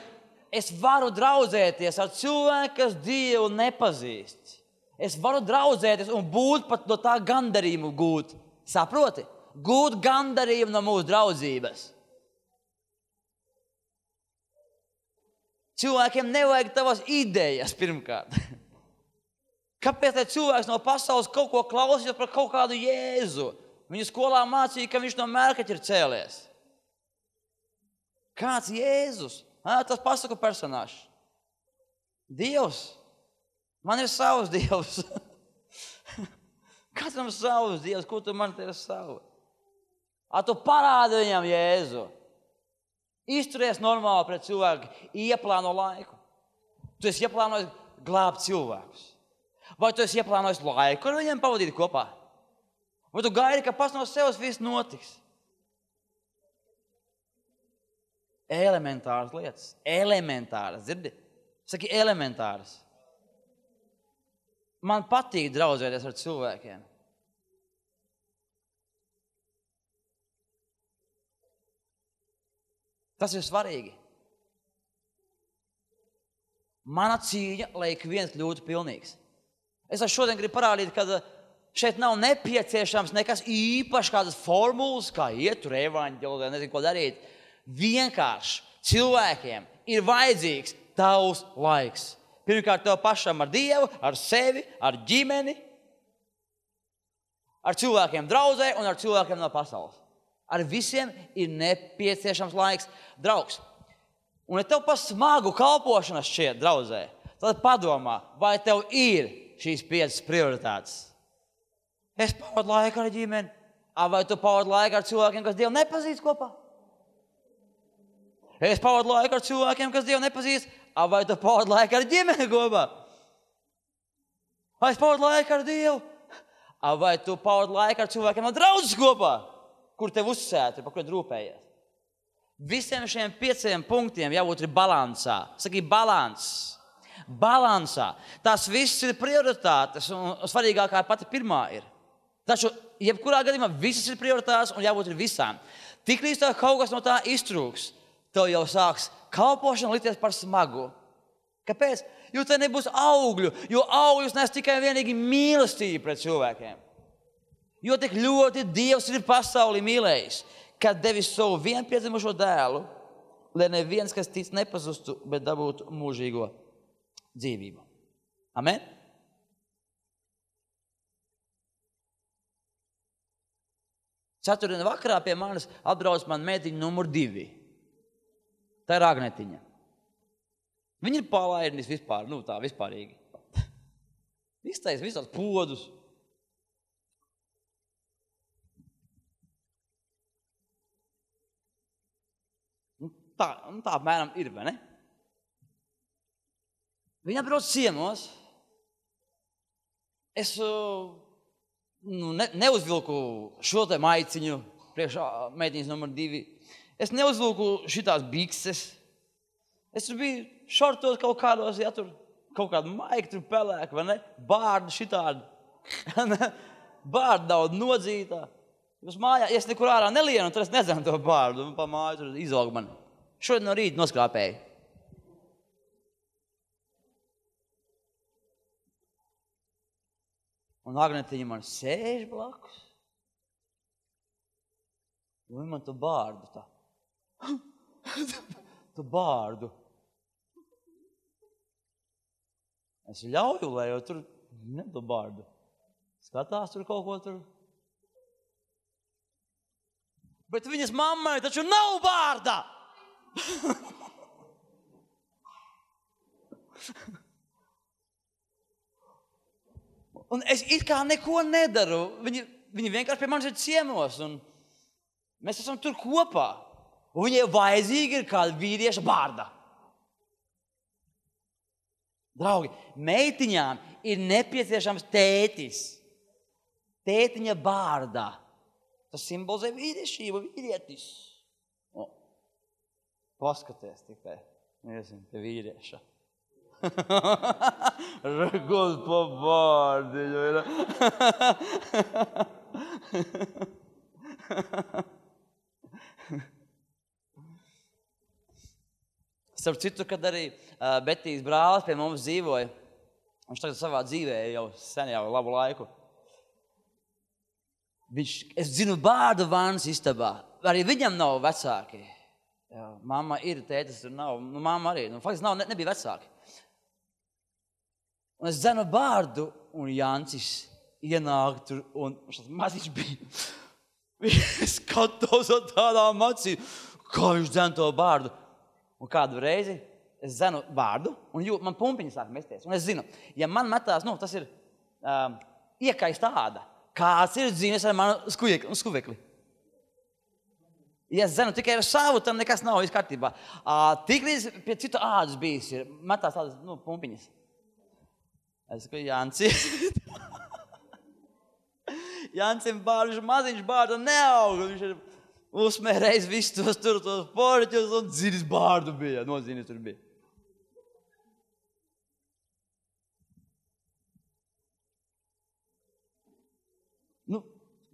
es varu draudzēties ar cilvēku, kas Dievu nepazīst. Es varu draudzēties un būt pat no tā gandarījumu gūt. Saproti? Gūt gandarījumu no mūsu draudzības. Cilvēkiem nevajag tavas idejas pirmkārt. Kāpēc lai cilvēks no pasaules kaut ko klausīs par kaut kādu Jēzu? Viņu skolā mācīja, ka viņš no mērkaķa ir cēlies. Kāds Jēzus? Tas pasaku personāžs. Dievs. Man ir savs Dievs. Katram savs Dievs, ko tu man te ir savu? Tu parādi viņam Jēzu. Izturies normāli pret cilvēku, ieplāno laiku. Tu esi ieplānojis glābt cilvēkus. Vai tu esi ieplānojis laiku ar viņiem pavadīt kopā? Vai tu gaidi, ka pats no sevis viss notiks? Elementāras lietas. Elementāras, dzirdi? Saki, elementāras. Man patīk draudzēties ar cilvēkiem. Tas ir svarīgi. Mana cīņa, lai ik viens kļūtu pilnīgs. Es šodien gribu parādīt, ka šeit nav nepieciešams nekas īpašs, kādas formulas, kā iet tur evaņģēlī, nezinu, ko darīt. Vienkārši cilvēkiem ir vajadzīgs tavs laiks. Pirmkārt, tev pašam ar Dievu, ar sevi, ar ģimeni, ar cilvēkiem draudzē un ar cilvēkiem no pasaules. Ar visiem ir nepieciešams laiks. Draugs, un ja tev pa smagu kalpošanas šķiet draudzē, tad padomā, vai tev ir šīs 5 prioritātes. Es pavadu laiku ar ģimeni, vai tu pavadu laiku ar cilvēkiem, kas Dievu nepazīst kopā? Es pavadu laiku ar cilvēkiem, kas Dievu nepazīst, vai tu pavadu laiku ar ģimeni kopā? Vai es pavadu laiku ar Dievu? Vai tu pavadu laiku ar cilvēkiem no draudzes kopā, kur tev uzsēti, par kuriem rūpējies? Visiem šiem 5 punktiem jābūt ir balansā. Saki, balans. Balansā. Tās viss ir prioritātes, un svarīgākā pati pirmā ir. Taču, jebkurā gadījumā, visas ir prioritātes un jābūt ir visām. Tiklīdz tev kaut kas no tā iztrūks, tev jau sāks kalpošana likties par smagu. Kāpēc? Jo te nebūs augļu, jo augļus nes tikai vienīgi mīlestība pret cilvēkiem. Jo tik ļoti Dievs ir pasauli mīlējis, kad devis savu vienpiedzimušo dēlu, lai neviens, kas tic, nepazustu, bet dabūtu mūžīgo dzīvību. Amen? Ceturtdien vakarā pie manis atbrauc man meitiņa numur 2. Tā ir Agnetiņa. Viņa ir palaidnis vispār, tā vispārīgi. Iztais visās podus. Tā apmēram ir, vai ne? Viņa atbrauc ciemos. Es neuzvilku šo te maiciņu priekšā meitiņas numur 2. Es neuzvilku šitās bikses. Es tur biju šortos kaut kādos, ja tur kaut kādu maiku tur pelēku, vai ne? Bārdu šitādi. Bārdu daudz nodzītā. Uz mājā, ja es nekur ārā nelienu, tad es nezinu to bārdu. Pa māju tur izvalgu mani. Šodien no rīta noskrāpēju. Un Agnetiņa man sēž blakus. Un viņa man to bārdu tā. Tu bārdu. Es ļauju, lai jau tur nedu bārdu. Skatās tur kaut ko tur. Bet viņas mammai taču nav bārda! Un es it kā neko nedaru. Viņi vienkārši pie manis ir ciemos. Un mēs esam tur kopā. Un viņai vajadzīgi ir kāda vīrieša bārda. Draugi, meitiņām ir nepieciešams tētis. Tētiņa bārda. Tas simbolizē vīriešību, vīrietis. Paskaties tikai. Nezinu, te vīrieša. Regos pa bārdiņu ir. Starp citu, kad arī Betijas brālis pie mums dzīvoja, viņš tagad savā dzīvē jau sen jau labu laiku. Es zinu bārdu vannas istabā. Arī viņam nav vecāki. Jā, mamma ir, tētis tur nav. Mamma arī. Faktiski nebija vecāki. Un es zinu bārdu, un Jancis ienāk tur, un šis maziņš bija. Es skatos ar tādām acīm, kā viņš zina to bārdu. Un kādu reizi es zinu bārdu, un man pumpiņi sāk mesties. Un es zinu, ja man metās, tas ir iekaist āda. Kāds ir dzīves ar manu skuvekli? Ja es zinu tikai ar savu, tam nekas nav viss kārtībā. Tiklīdz pie citu ādas bijis ir, metās tādas pumpiņas. Es saku, Janci. Jancim bārdu, maziņš bārdu neaug. Viņš ir uzmērējis visus tos poriķus un dzinis bārdu bija. Nozīnis tur bija.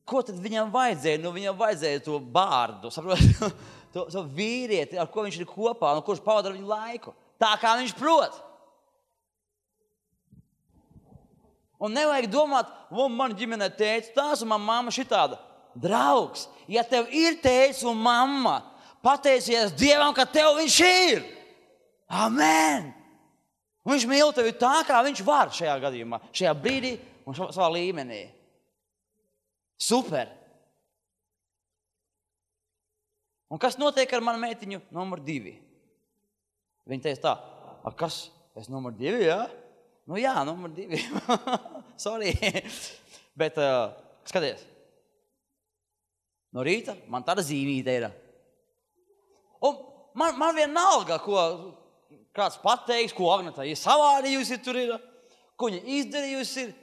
Ko tad viņam vajadzēja? Viņam vajadzēja to bārdu, saprot? To vīrieti, ar ko viņš ir kopā, kurš pavada ar viņu laiku. Tā kā viņš prot. Un nevajag domāt, man ģimenē tētis tās un man mamma šitāda. Draugs, ja tev ir tētis un mamma, pateicies Dievam, ka tev viņš ir. Amen! Un viņš mīl tevi tā, kā viņš var šajā gadījumā, šajā brīdī un savā līmenī. Super! Un kas notiek ar manu meitiņu numur 2? Viņa teica tā, kas? Es numur 2, jā? Jā, numur 2. Sorry. Bet, skaties. No rīta man tāda zīmīte ir. Un man vienalga, ko kāds pateiks, ko Agneta ir savādījusi tur ir, ko viņa izdarījusi ir.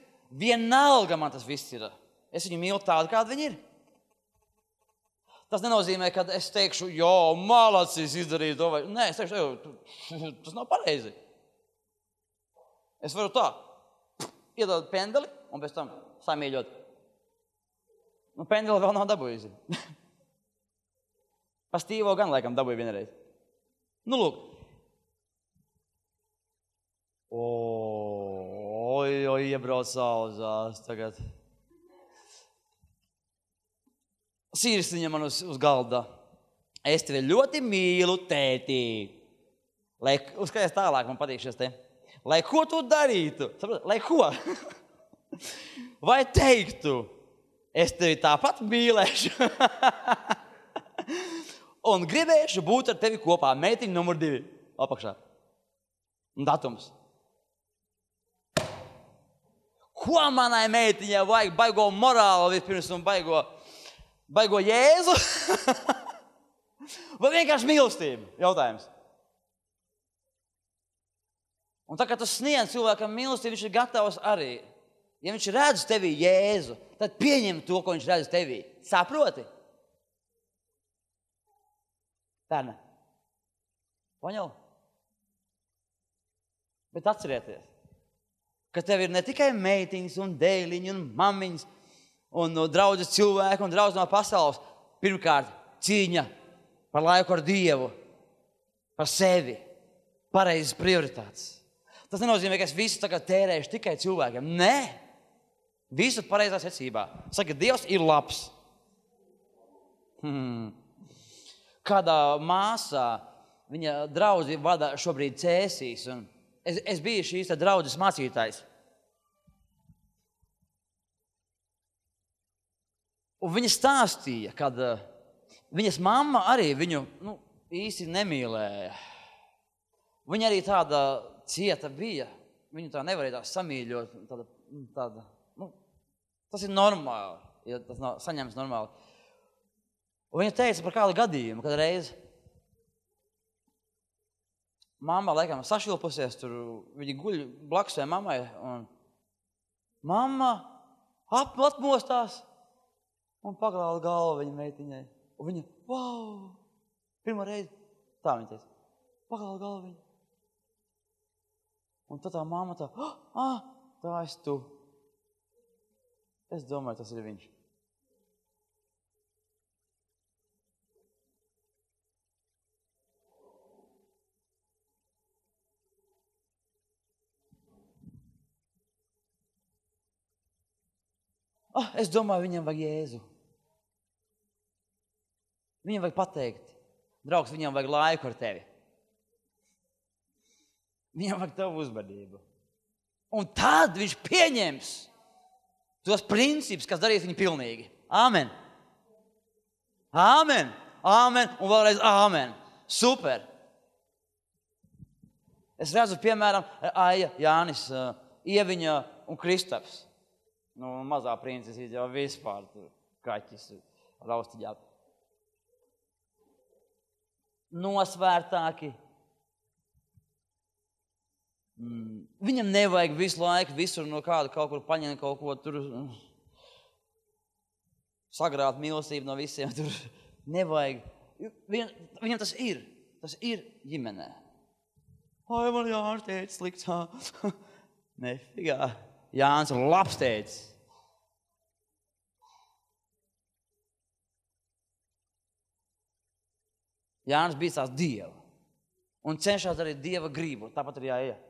Vienalga man tas viss ir. Es viņu mīlu tādu, kāda viņa ir. Tas nenozīmē, ka es teikšu, malacis izdarīja to vai... Nē, es teikšu, tas nav pareizi. Es varu tā, iedot pendeli un pēc tam samīļot. Pendeli vēl nav dabūjusi. Pa Stīvo gan laikam dabūju vienreiz. Lūk. Oi, iebrauc sauzās tagad. Sirsniņa man uz galda. Es tevi ļoti mīlu, tētī. Lai, uzskaties tālāk, man patīk šis te. Lai ko tu darītu? Saprot? Lai ko? Vai teiktu, es tevi tāpat mīlēšu? Un gribēšu būt ar tevi kopā. Meitiņa numur 2. Apakšā. Un datums. Ko manai meitiņai vajag? Baigo morāli vispirms un baigo Jēzu? Vai vienkārši mīlestība? Jautājums. Un tā kā tu sniedz cilvēkam mīlestību, viņš ir gatavs arī. Ja viņš redz tevī Jēzu, tad pieņem to, ko viņš redz tevī. Saproti? Tā ne. Paņel? Bet atcerieties, ka tev ir ne tikai meitiņas un dēliņi un mamiņas un draudzes cilvēki un draudzes no pasaules. Pirmkārt, cīņa par laiku ar Dievu, par sevi, pareizes prioritātes. Tas nenozīmē, ka es visu tagad tērēšu tikai cilvēkiem. Nē, visu pareizā secībā. Saka, Dievs ir labs. Kādā māsā, viņa draudzi vada šobrīd Cēsīs, un es biju šīs draudzes mācītājs. Un viņa stāstīja, kad viņas mamma arī viņu īsti nemīlēja. Viņa arī tāda cieta bija. Viņu tā nevarēja tā samīļot. Tas ir normāli, ja tas nav saņemts normāli. Un viņa teica par kādu gadījumu, kad reiz mamma, laikam, sašvilpusies, tur viņa guļ blakus vai mammai, un mamma atmostās un paglāda galvu viņa meitiņai. Un viņa, wow, pirmā reize, tā viņa teica, paglāda galvu viņa. Un tad tā mamma tā, tā esi tu. Es domāju, tas ir viņš. Es domāju, viņam vajag Jēzu. Viņam vajag pateikt, draugs, viņam vajag laiku ar tevi. Viņam vajag tavu uzmanību. Un tad viņš pieņems tos principus, kas darīs viņu pilnīgi. Āmen. Āmen. Āmen. Un vēlreiz āmen. Super. Es redzu, piemēram, Aija, Jānis, Ieviņa un Kristaps. Mazā princese jau vispār kaķis raustiņā. Nosvērtāki. Viņam nevajag visu laiku visur no kāda kaut kur paņemt kaut ko tur sagrāt mīlestību no visiem. Tur nevajag. Viņam tas ir ģimenē. Ai, man Jānis teica slikts. Nefigā. Jānis ir labs teicis. Jānis bija tās Dieva. Un cenšas arī Dieva gribu. Tāpat arī jāiet.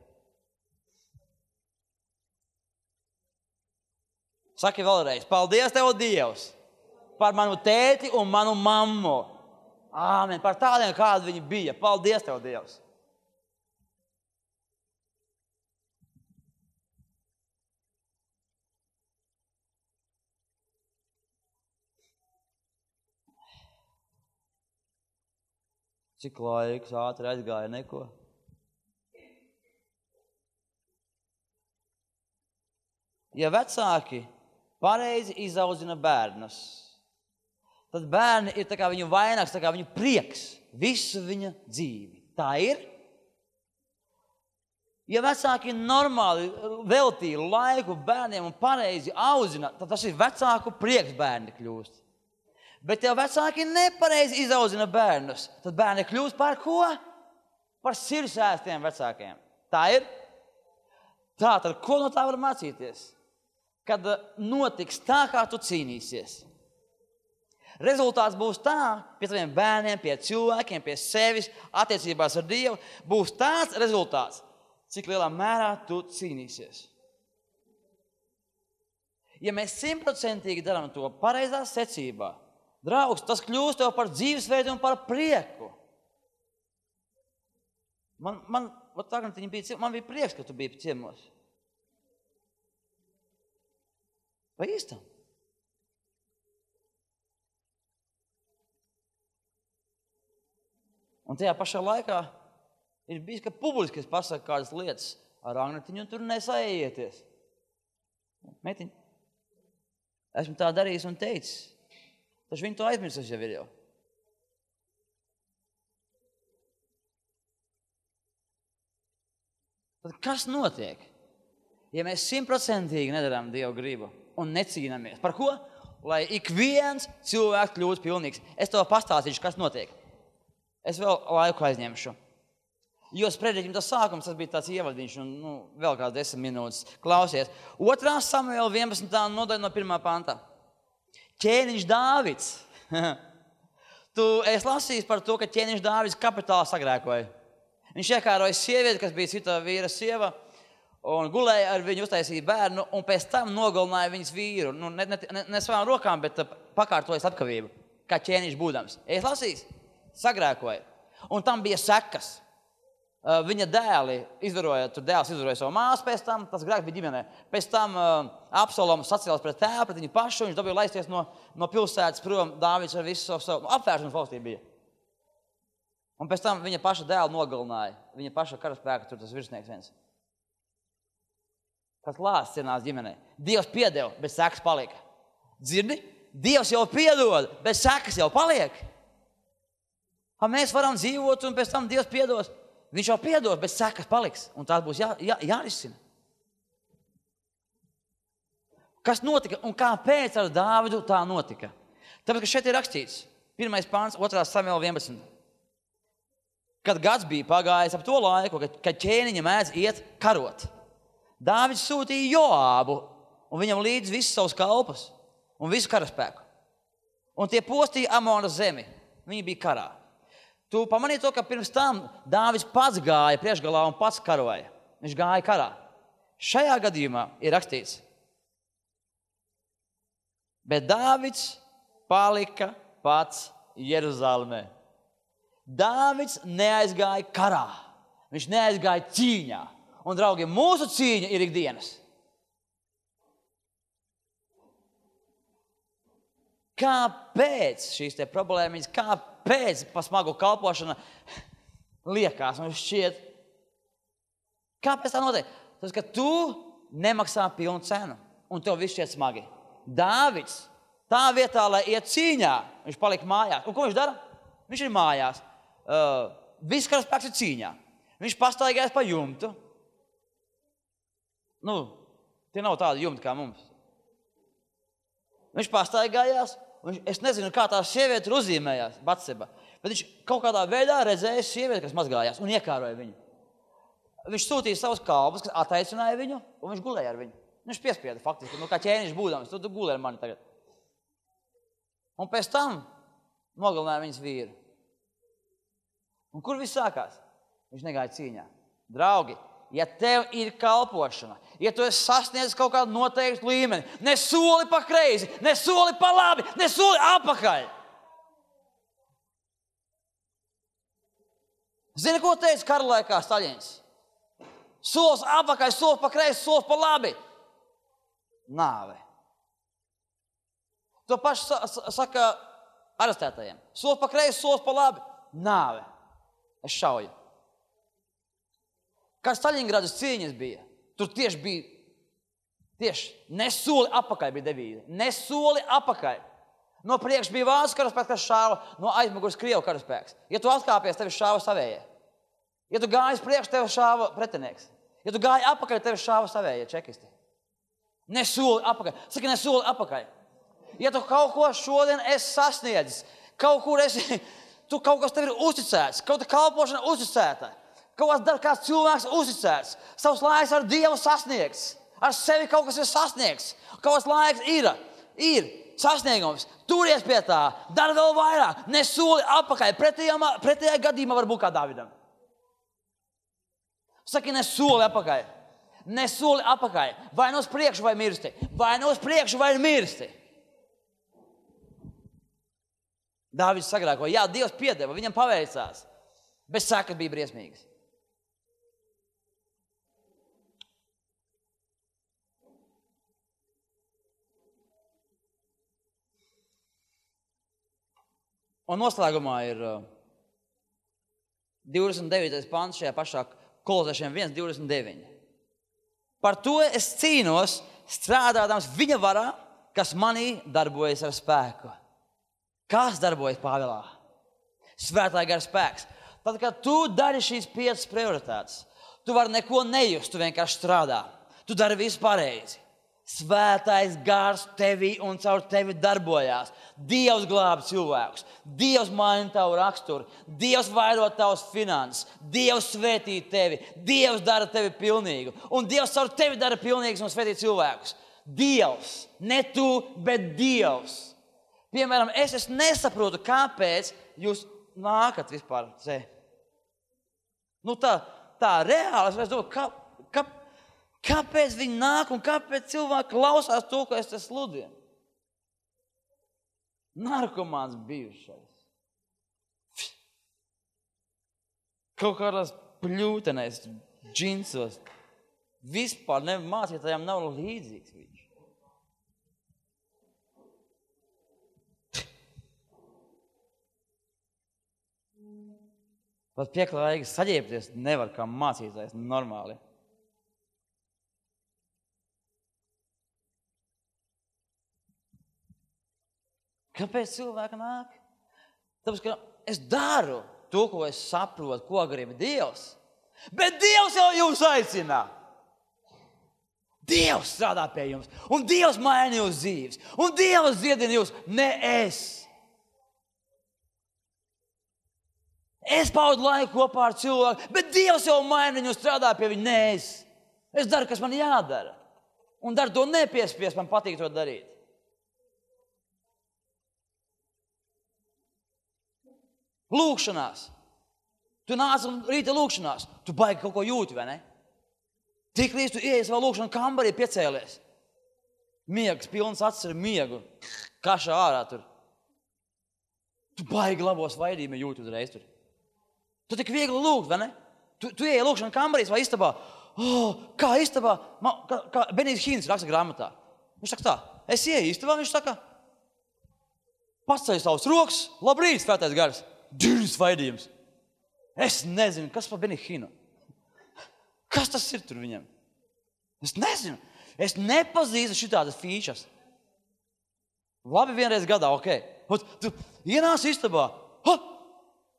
Saki vēlreiz, paldies Tev, Dievs, par manu tēti un manu mammu. Āmen, par tādiem, kādi viņi bija. Paldies Tev, Dievs. Cik laiks ātri aizgāja, neko. Ja vecāki pareizi izaudzina bērnus, tad bērni ir tā kā viņu vainags, tā kā viņu prieks visu viņa dzīvi. Tā ir. Ja vecāki normāli veltīja laiku bērniem un pareizi audzina, tad tas ir vecāku prieks bērni kļūst. Bet ja vecāki nepareizi izaudzina bērnus, tad bērni kļūst par ko? Par sirsēstiem vecākiem. Tā ir. Tātad, ko no tā var mācīties? Kad notiks tā, kā tu cīnīsies. Rezultāts būs tā, pie taviem bērniem, pie cilvēkiem, pie sevis, attiecībās ar Dievu, būs tāds rezultāts. cik lielā mērā tu cīnīsies. Ja mēs 100% darām to pareizā secībā, draugs, tas kļūst tev par dzīvesveidu un par prieku. Man bija prieks, ka tu biji ciemos. Vai īstam? Un tajā pašā laikā ir bijis, ka publiski es pasaku kādas lietas ar Agnetiņu un tur nesaieties. Meitiņ, esmu tā darījis un teicis. Taču viņi to aizmirsuši jau ir jau. Tad kas notiek? Ja mēs 100% nedarām Dievu gribu un necīnamies. Par ko? Lai ik viens cilvēks kļūst pilnīgs. Es tev pastāstīšu, kas notiek. Es vēl laiku aizņemšu. Jo sprediķim tas sākums, tas bija tāds ievadiņš un vēl kāds 10 minūtes. Klausies. 2. Samuela 11. nodaļa no 1. panta. Ķēniņš Dāvids. Tu esi lasījis par to, ka ķēniņš Dāvids kapitāli sagrēkoja. Viņš iekāroja sievieti, kas bija cita vīra sieva, un gulēja ar viņu, uztaisīja bērnu, un pēc tam nogalināja viņas vīru. Ne savām rokām, bet pakārtojas apkavību, kā ķēniņš būdams. Esi lasījis? Sagrēkoja. Un tam bija sekas. Viņa dēls izvaroja savu māsu pēc tam, tas grēks bija ģimenē. Pēc tam Absaloms sacēlās pret tēvu, pret viņu pašu, viņš dabūja laisties no pilsētas prom, Dāvids ar visu savu apvēršanas valstī bija. Un pēc tam viņa paša dēlu nogalināja. Viņa paša karaspēka, tur tas virsnieks viens. Kas lāsts cienās ģimenē. Dievs piedeva, bet sekas palika. Dzirdi? Dievs jau piedod, bet sekas jau paliek. Mēs varam dzīvot un pēc tam Dievs piedos. Viņš jau piedos, bet sekas paliks. Un tās būs jārisina. Kas notika un kāpēc ar Dāvidu tā notika? Tāpēc, ka šeit ir rakstīts. 1. pāns, 2. Samuela 11. Kad gads bija pagājis ap to laiku, kad ķēniņa mēdz iet karot. Dāvids sūtīja Joābu un viņam līdz visus savus kalpus un visu karaspēku. Un tie postīja Amonas zemi. Viņi bija karā. Tu pamanīji to, ka pirms tam Dāvids pats gāja priekšgalā un pats karoja. Viņš gāja karā. Šajā gadījumā ir rakstīts. Bet Dāvids palika pats Jeruzalemē. Dāvids neaizgāja karā. Viņš neaizgāja cīņā. Un, draugi, mūsu cīņa ir ikdienas. Kāpēc šīs te problēmas, kāpēc pa smagu kalpošana liekas un šķiet? Kāpēc tā notiek? Tas, ka tu nemaksā pilnu cenu un tev viss šķiet smagi. Dāvids tā vietā, lai iet cīņā, viņš palika mājās. Un ko viņš dara? Viņš ir mājās. Viss karaspēks ir cīņā. Viņš pastaigājās pa jumtu. Tie nav tādi jumti kā mums. Viņš pastaigājās. Es nezinu, kā tā sieviete tur uzzīmējās, Batseba. Bet viņš kaut kādā veidā redzēja sievieti, kas mazgājās un iekāroja viņu. Viņš sūtīja savus kalpus, kas attaicināja viņu, un viņš gulēja ar viņu. Viņš piespieda faktiski, kā ķēniņš būdams, tu gulē ar mani tagad. Un pēc tam nogalināja viņas vīru. Un kur viss sākās? Viņš negāja cīņā. Draugi, ja tev ir kalpošana, ja tu esi sasniedzis kaut kādu noteiktu līmeni, ne soli pa kreisi, ne soli pa labi, ne soli apakaļ. Zini, ko teica kara laikā Staļins? Solis apakaļ, solis pa kreisi, solis pa labi. Nāve. To pašu saka arestētajiem. Solis pa kreisi, solis pa labi. Nāve. Es šauju. Kā Staļingradas cīņas bija, tur tieši bija, ne soli apakaļ bija devīze. Ne soli apakaļ. No priekš bija vācu karaspēks, kas šāva, no aizmugures Krievu karaspēks. Ja tu atkāpies, tevi šāva savējie. Ja tu gājies priekš, tevi šāva pretinieks. Ja tu gāji apakaļ, tevi šāva savējie čekisti. Ne soli apakaļ. Saki, ne soli apakaļ. Ja tu kaut ko šodien esi sasniedzis, kaut kas tev ir uzticēts, kaut kā kalpošana uzticēta, kaut kāds cilvēks uzticēts, savs laiks ar Dievu sasniegts, ar sevi kaut kas ir sasniegts, kaut kas laiks ir sasniegums, turies pie tā, dara vēl vairāk, ne soli apakaļ, pretējā gadījumā var būt kā Dāvidam. Saki, ne soli apakaļ. Ne soli apakaļ. Vai no uz priekšu, vai mirsti. Vai no uz priekšu, vai mirsti. Dāvids sagrēko. Jā, Dievs piedeva, viņam paveicās. Bet sekas bija briesmīgas. Un noslēgumā ir 29. pants šajā pašā Kolosiešiem 1:29. Par to es cīnos, strādādams viņa varā, kas manī darbojas ar spēku. Kas darbojas Pāvilā? Svētā gara spēks. Tad, kad tu dari šīs 5 prioritātes, tu vari neko nejust, tu vienkārši strādā. Tu dari visu pareizi. Svētais gars tevī un caur tevi darbojās. Dievs glāb cilvēkus. Dievs maina tavu raksturu. Dievs vaido tavas finanses. Dievs svētī tevi. Dievs dara tevi pilnīgu. Un Dievs caur tevi dara pilnīgus un svētī cilvēkus. Dievs. Ne tu, bet Dievs. Piemēram, es nesaprotu, kāpēc jūs nākat vispār. Nu tā reāli, es domāju, kāpēc viņi nāk un kāpēc cilvēki klausās to, ko es te sludinu? Narkomāns bijušais. Kaut kādās pļūtenēs, džinsos. Vispār mācītājiem nav līdzīgs viņš. Pat pieklājīgi saģēpties nevar kā mācītājs normāli. Kāpēc cilvēki nāk? Tāpēc, ka es daru to, ko es saprotu, ko grib Dievs. Bet Dievs jau jūs aicina. Dievs strādā pie jums. Un Dievs maina jūs dzīves. Un Dievs dziedina jūs, ne es. Es paudu laiku kopā ar cilvēku, bet Dievs jau maina viņu, strādā pie viņa, ne es. Es daru, kas man jādara. Un daru to nepiespies, man patīk to darīt. Lūkšanās. Tu nāc un rīta lūkšanās. Tu baigi kaut ko jūti, vai ne? Tiklīdz tu ieej savā lūkšana kambarī, piecēlies. Miegs, pilns acis ar miegu. Kašā ārā tur. Tu baigi labos vaidījumu jūti uzreiz tur. Tu tik viegli lūgt, vai ne? Tu ieej lūkšana kambarī vai istabā. Kā istabā? Kā Benijs Hīns raksta grāmatā. Viņš saka tā. Es ieeju istabā, viņš saka. Paceļ savus rokas. Labrīt, svētais gars. Džuris vaidījums. Es nezinu, kas par Beniju Hinu. Kas tas ir tur viņam? Es nezinu. Es nepazīstu šitādas fīčas. Labi, vienreiz gadā, ok. Tu ienāc istabā.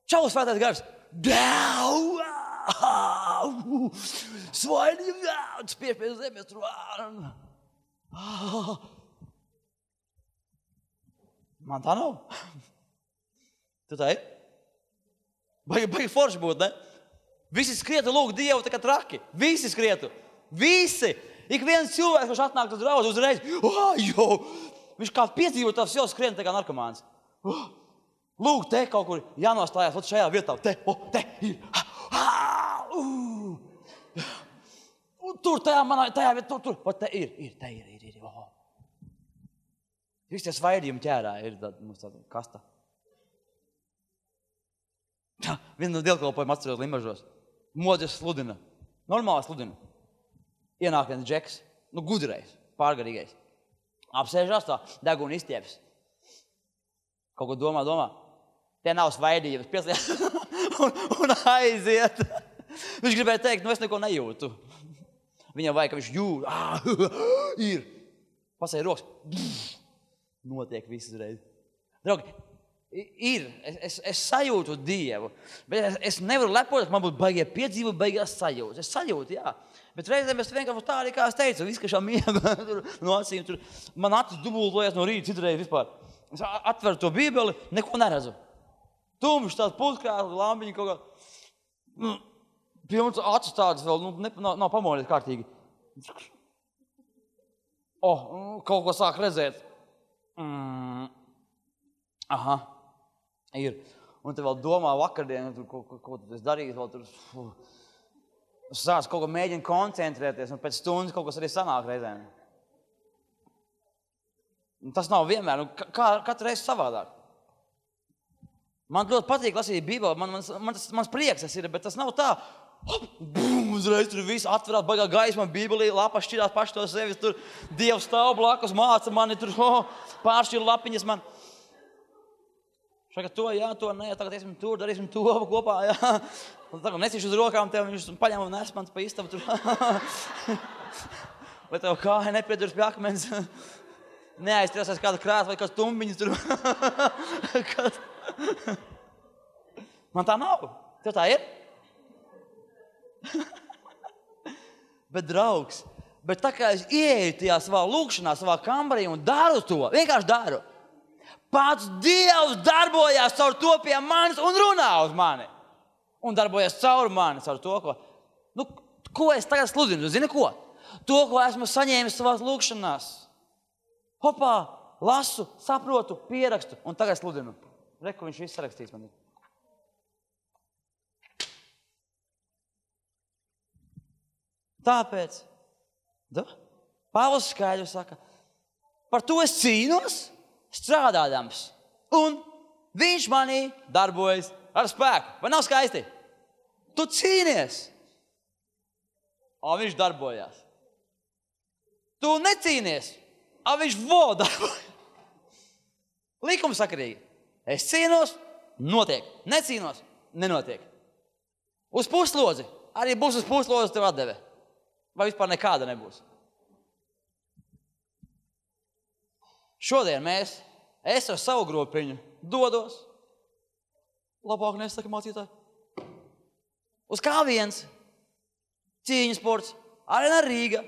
Čau, svētais gars. Svaidījums. Spiež pie zemes tur. Man tā nav. Tu tā ir? Baigi forši būt, ne? Visi skrietu lūgt Dievu tā kā traki. Visi skrietu. Visi. Ik viens cilvēks, kurš atnāk uz draudu uzreiz. Viņš kā piedzīvot tavs jau skrien tā kā narkomāns. Lūk, te kaut kur jānostājās, šajā vietā. Te ir. Tur, tajā vietā, tur. Te ir. Visi tie svaidījumi ķērā ir mums tāda kasta. Vienu no dievkalpojumu atceros Limbažos. Modžas sludina. Normāli sludina. Ienāk viens džeks. Gudrais, pārgarīgais. Apsēžās tā, deguna izstieps. Kaut ko domā. Tie nav svaidījums. Pieslies un aiziet. Viņš gribēja teikt, es neko nejūtu. Viņam vajag, ka viņš jūt. Ir. Pasēja rokas. Notiek viss uzreiz. Draugi, ir. Es sajūtu Dievu. Bet es nevaru lepot, ka man būtu baigie piedzīvot, baigās sajūtas. Es sajūtu, jā. Bet reizēm es vienkārši tā arī, kā es teicu, viskašā miega no acīm. Tur. Man acis dubultojas no rīta citreiz vispār. Es atveru to bībeli, neko neredzu. Tumšs tāds puskrāsli, lambiņi kaut kā. Pilns acis tādas vēl, nav pamolies kārtīgi. Kaut ko sāk redzēt. Aha. Ir. Un te vēl domā vakardienu, ko tu esi darījis, vēl tur. Sāc kaut ko mēģina koncentrēties, un pēc stundas kaut kas arī sanāk reizēm. Un tas nav vienmēr, un katru reizi savādāk. Man ļoti patīk lasīt Bībeli, mans prieks tas ir, bet tas nav tā, uzreiz tur viss atverās, baigā gaisma, Bībelī, lapas šķirās paši to sevis, tur Dievs stāv blakus, māca mani, tur pāršķir lapiņas man. Šaka to, jā, to, nē, tagad iesim tur, darīsim to kopā, jā. Un tagad nesīšu uz rokām tev, viņš paņem un nes man pa istabu tur. Lai tev kāja nepieduras pie akmens. Neaiztriesās kāda krāsa vai kāds tumbiņas tur. Man tā nav. Tev tā ir? Bet, draugs, tā kā es ieeju tajā savā lūkšanā, savā kambarī un daru to, vienkārši daru. Pats Dievs darbojās caur to pie manis un runā uz mani. Un darbojās caur mani, caur to, ko es tagad sludinu. Zini ko? To, ko esmu saņēmis savās lūkšanās. Hopā, lasu, saprotu, pierakstu un tagad sludinu. Reku, viņš viss sarakstīs man. Tāpēc, Pāvils skaidri saka, par to es cīnos, strādādams, un viņš manī darbojas ar spēku. Vai nav skaisti? Tu cīnies, un viņš darbojās. Tu necīnies, un viņš darbojas. Likumsakarīgi. Es cīnos, notiek. Necīnos, nenotiek. Uz puslodzi. Arī būs uz puslodzi tev atdeve. Vai vispār nekāda nebūs. Šodien es ar savu grupiņu dodos. Labāk nesaka mācītāji. Uz K1, cīņu sports, Arena Rīga,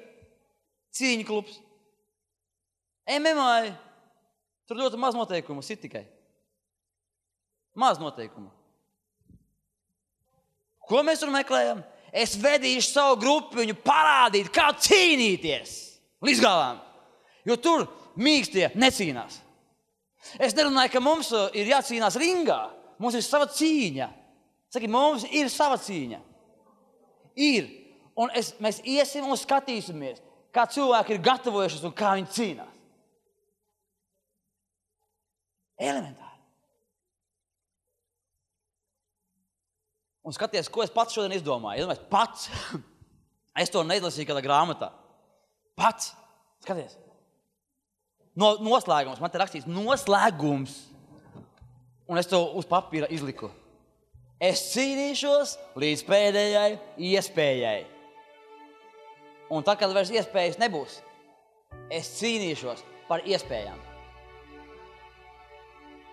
cīņu klubs, MMA. Tur ļoti maz noteikumu, sit tikai. Maz noteikumu. Ko mēs tur meklējam? Es vedīšu savu grupiņu parādīt, kā cīnīties līdz galām. Jo tur mīkstie necīnās. Es nerunāju, ka mums ir jācīnās ringā. Mums ir sava cīņa. Saki, mums ir sava cīņa. Ir. Un mēs iesim un skatīsimies, kā cilvēki ir gatavojušies un kā viņi cīnās. Elementāri. Un skaties, ko es pats šodien izdomāju. Iedomājies, pats. Es to neizlasīju kādā grāmatā. Pats. Skaties. Noslēgums. Man te rakstīts noslēgums. Un es to uz papīra izliku. Es cīnīšos līdz pēdējai iespējai. Un tad, kad vairs iespējas nebūs, es cīnīšos par iespējām.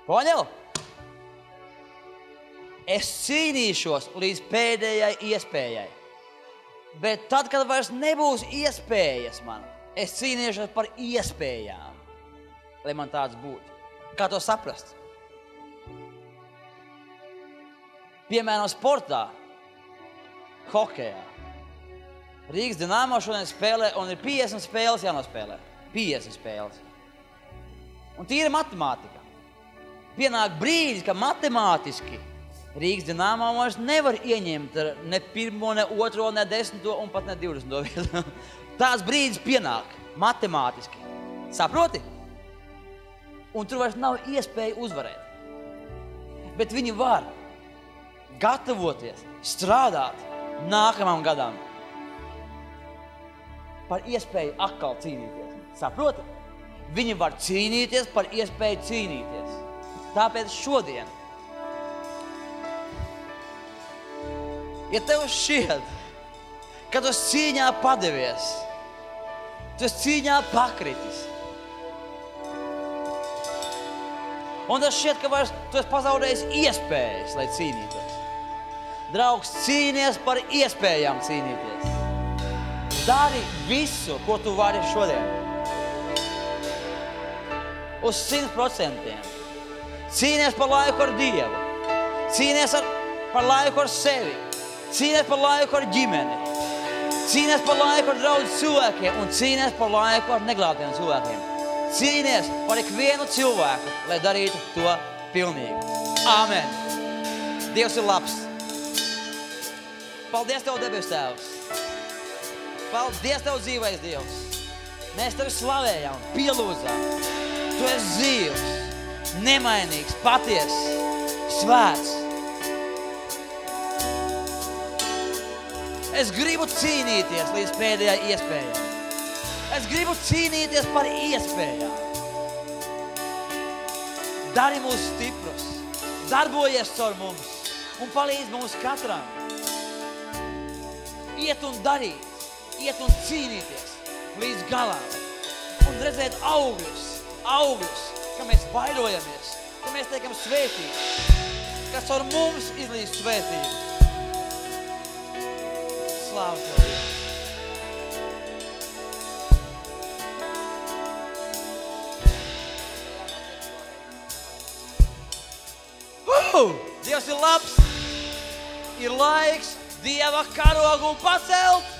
Poņel? Es cīnīšos līdz pēdējai iespējai. Bet tad, kad vairs nebūs iespējas man, es cīnīšos par iespējām. Lai man tāds būtu. Kā to saprast? Piemēram, sportā, hokejā. Rīgas Dinamo šodien spēlē un ir 50 spēles jānospēlē. 50 spēles. Un tīra matemātika. Pienāk brīdis, ka matemātiski Rīgas Dinamo vairs nevar ieņemt ne 1, ne 2, ne 10 un pat ne 20 vietu. Tāds brīdis pienāk matemātiski. Saproti? Un tur vairs nav iespēja uzvarēt. Bet viņi var gatavoties, strādāt nākamam gadam par iespēju atkal cīnīties. Saproti? Viņi var cīnīties par iespēju cīnīties. Tāpēc šodien, ja tev šķiet, ka tu cīņā padevies, tu cīņā pakritis, un tas šķiet, ka vairs tu esi pazaudējis iespējas, lai cīnītos. Draugs, cīnies par iespējām cīnīties. Dari visu, ko tu vari šodien. Uz 100%. Cīnies par laiku ar Dievu. Cīnies par laiku ar sevi. Cīnies par laiku ar ģimeni. Cīnies par laiku ar draudz cilvēkiem un cīnies par laiku ar neglābtiem cilvēkiem. Cīnies par ikvienu cilvēku, lai darītu to pilnīgi. Āmen. Dievs ir labs. Paldies Tev, debes Tēvs. Paldies Tev dzīvais Dievs. Mēs Tevi slavējam, pielūdzam. Tu esi dzīvs, nemainīgs, patiess, svēts. Es gribu cīnīties līdz pēdējai iespējai. Es gribu cīnīties par iespējām. Dari mūs stiprus, darbojies caur mums un palīdz mums katram. Iet un darīt, iet un cīnīties līdz galam un redzēt augļus, ka mēs vairojamies, ka mēs tiekam svētīgi, ka caur mums izlīdz svētību. Slāvu Tev, Dievs. Dievs ir labs, ir laiks Dieva karogu pacelt.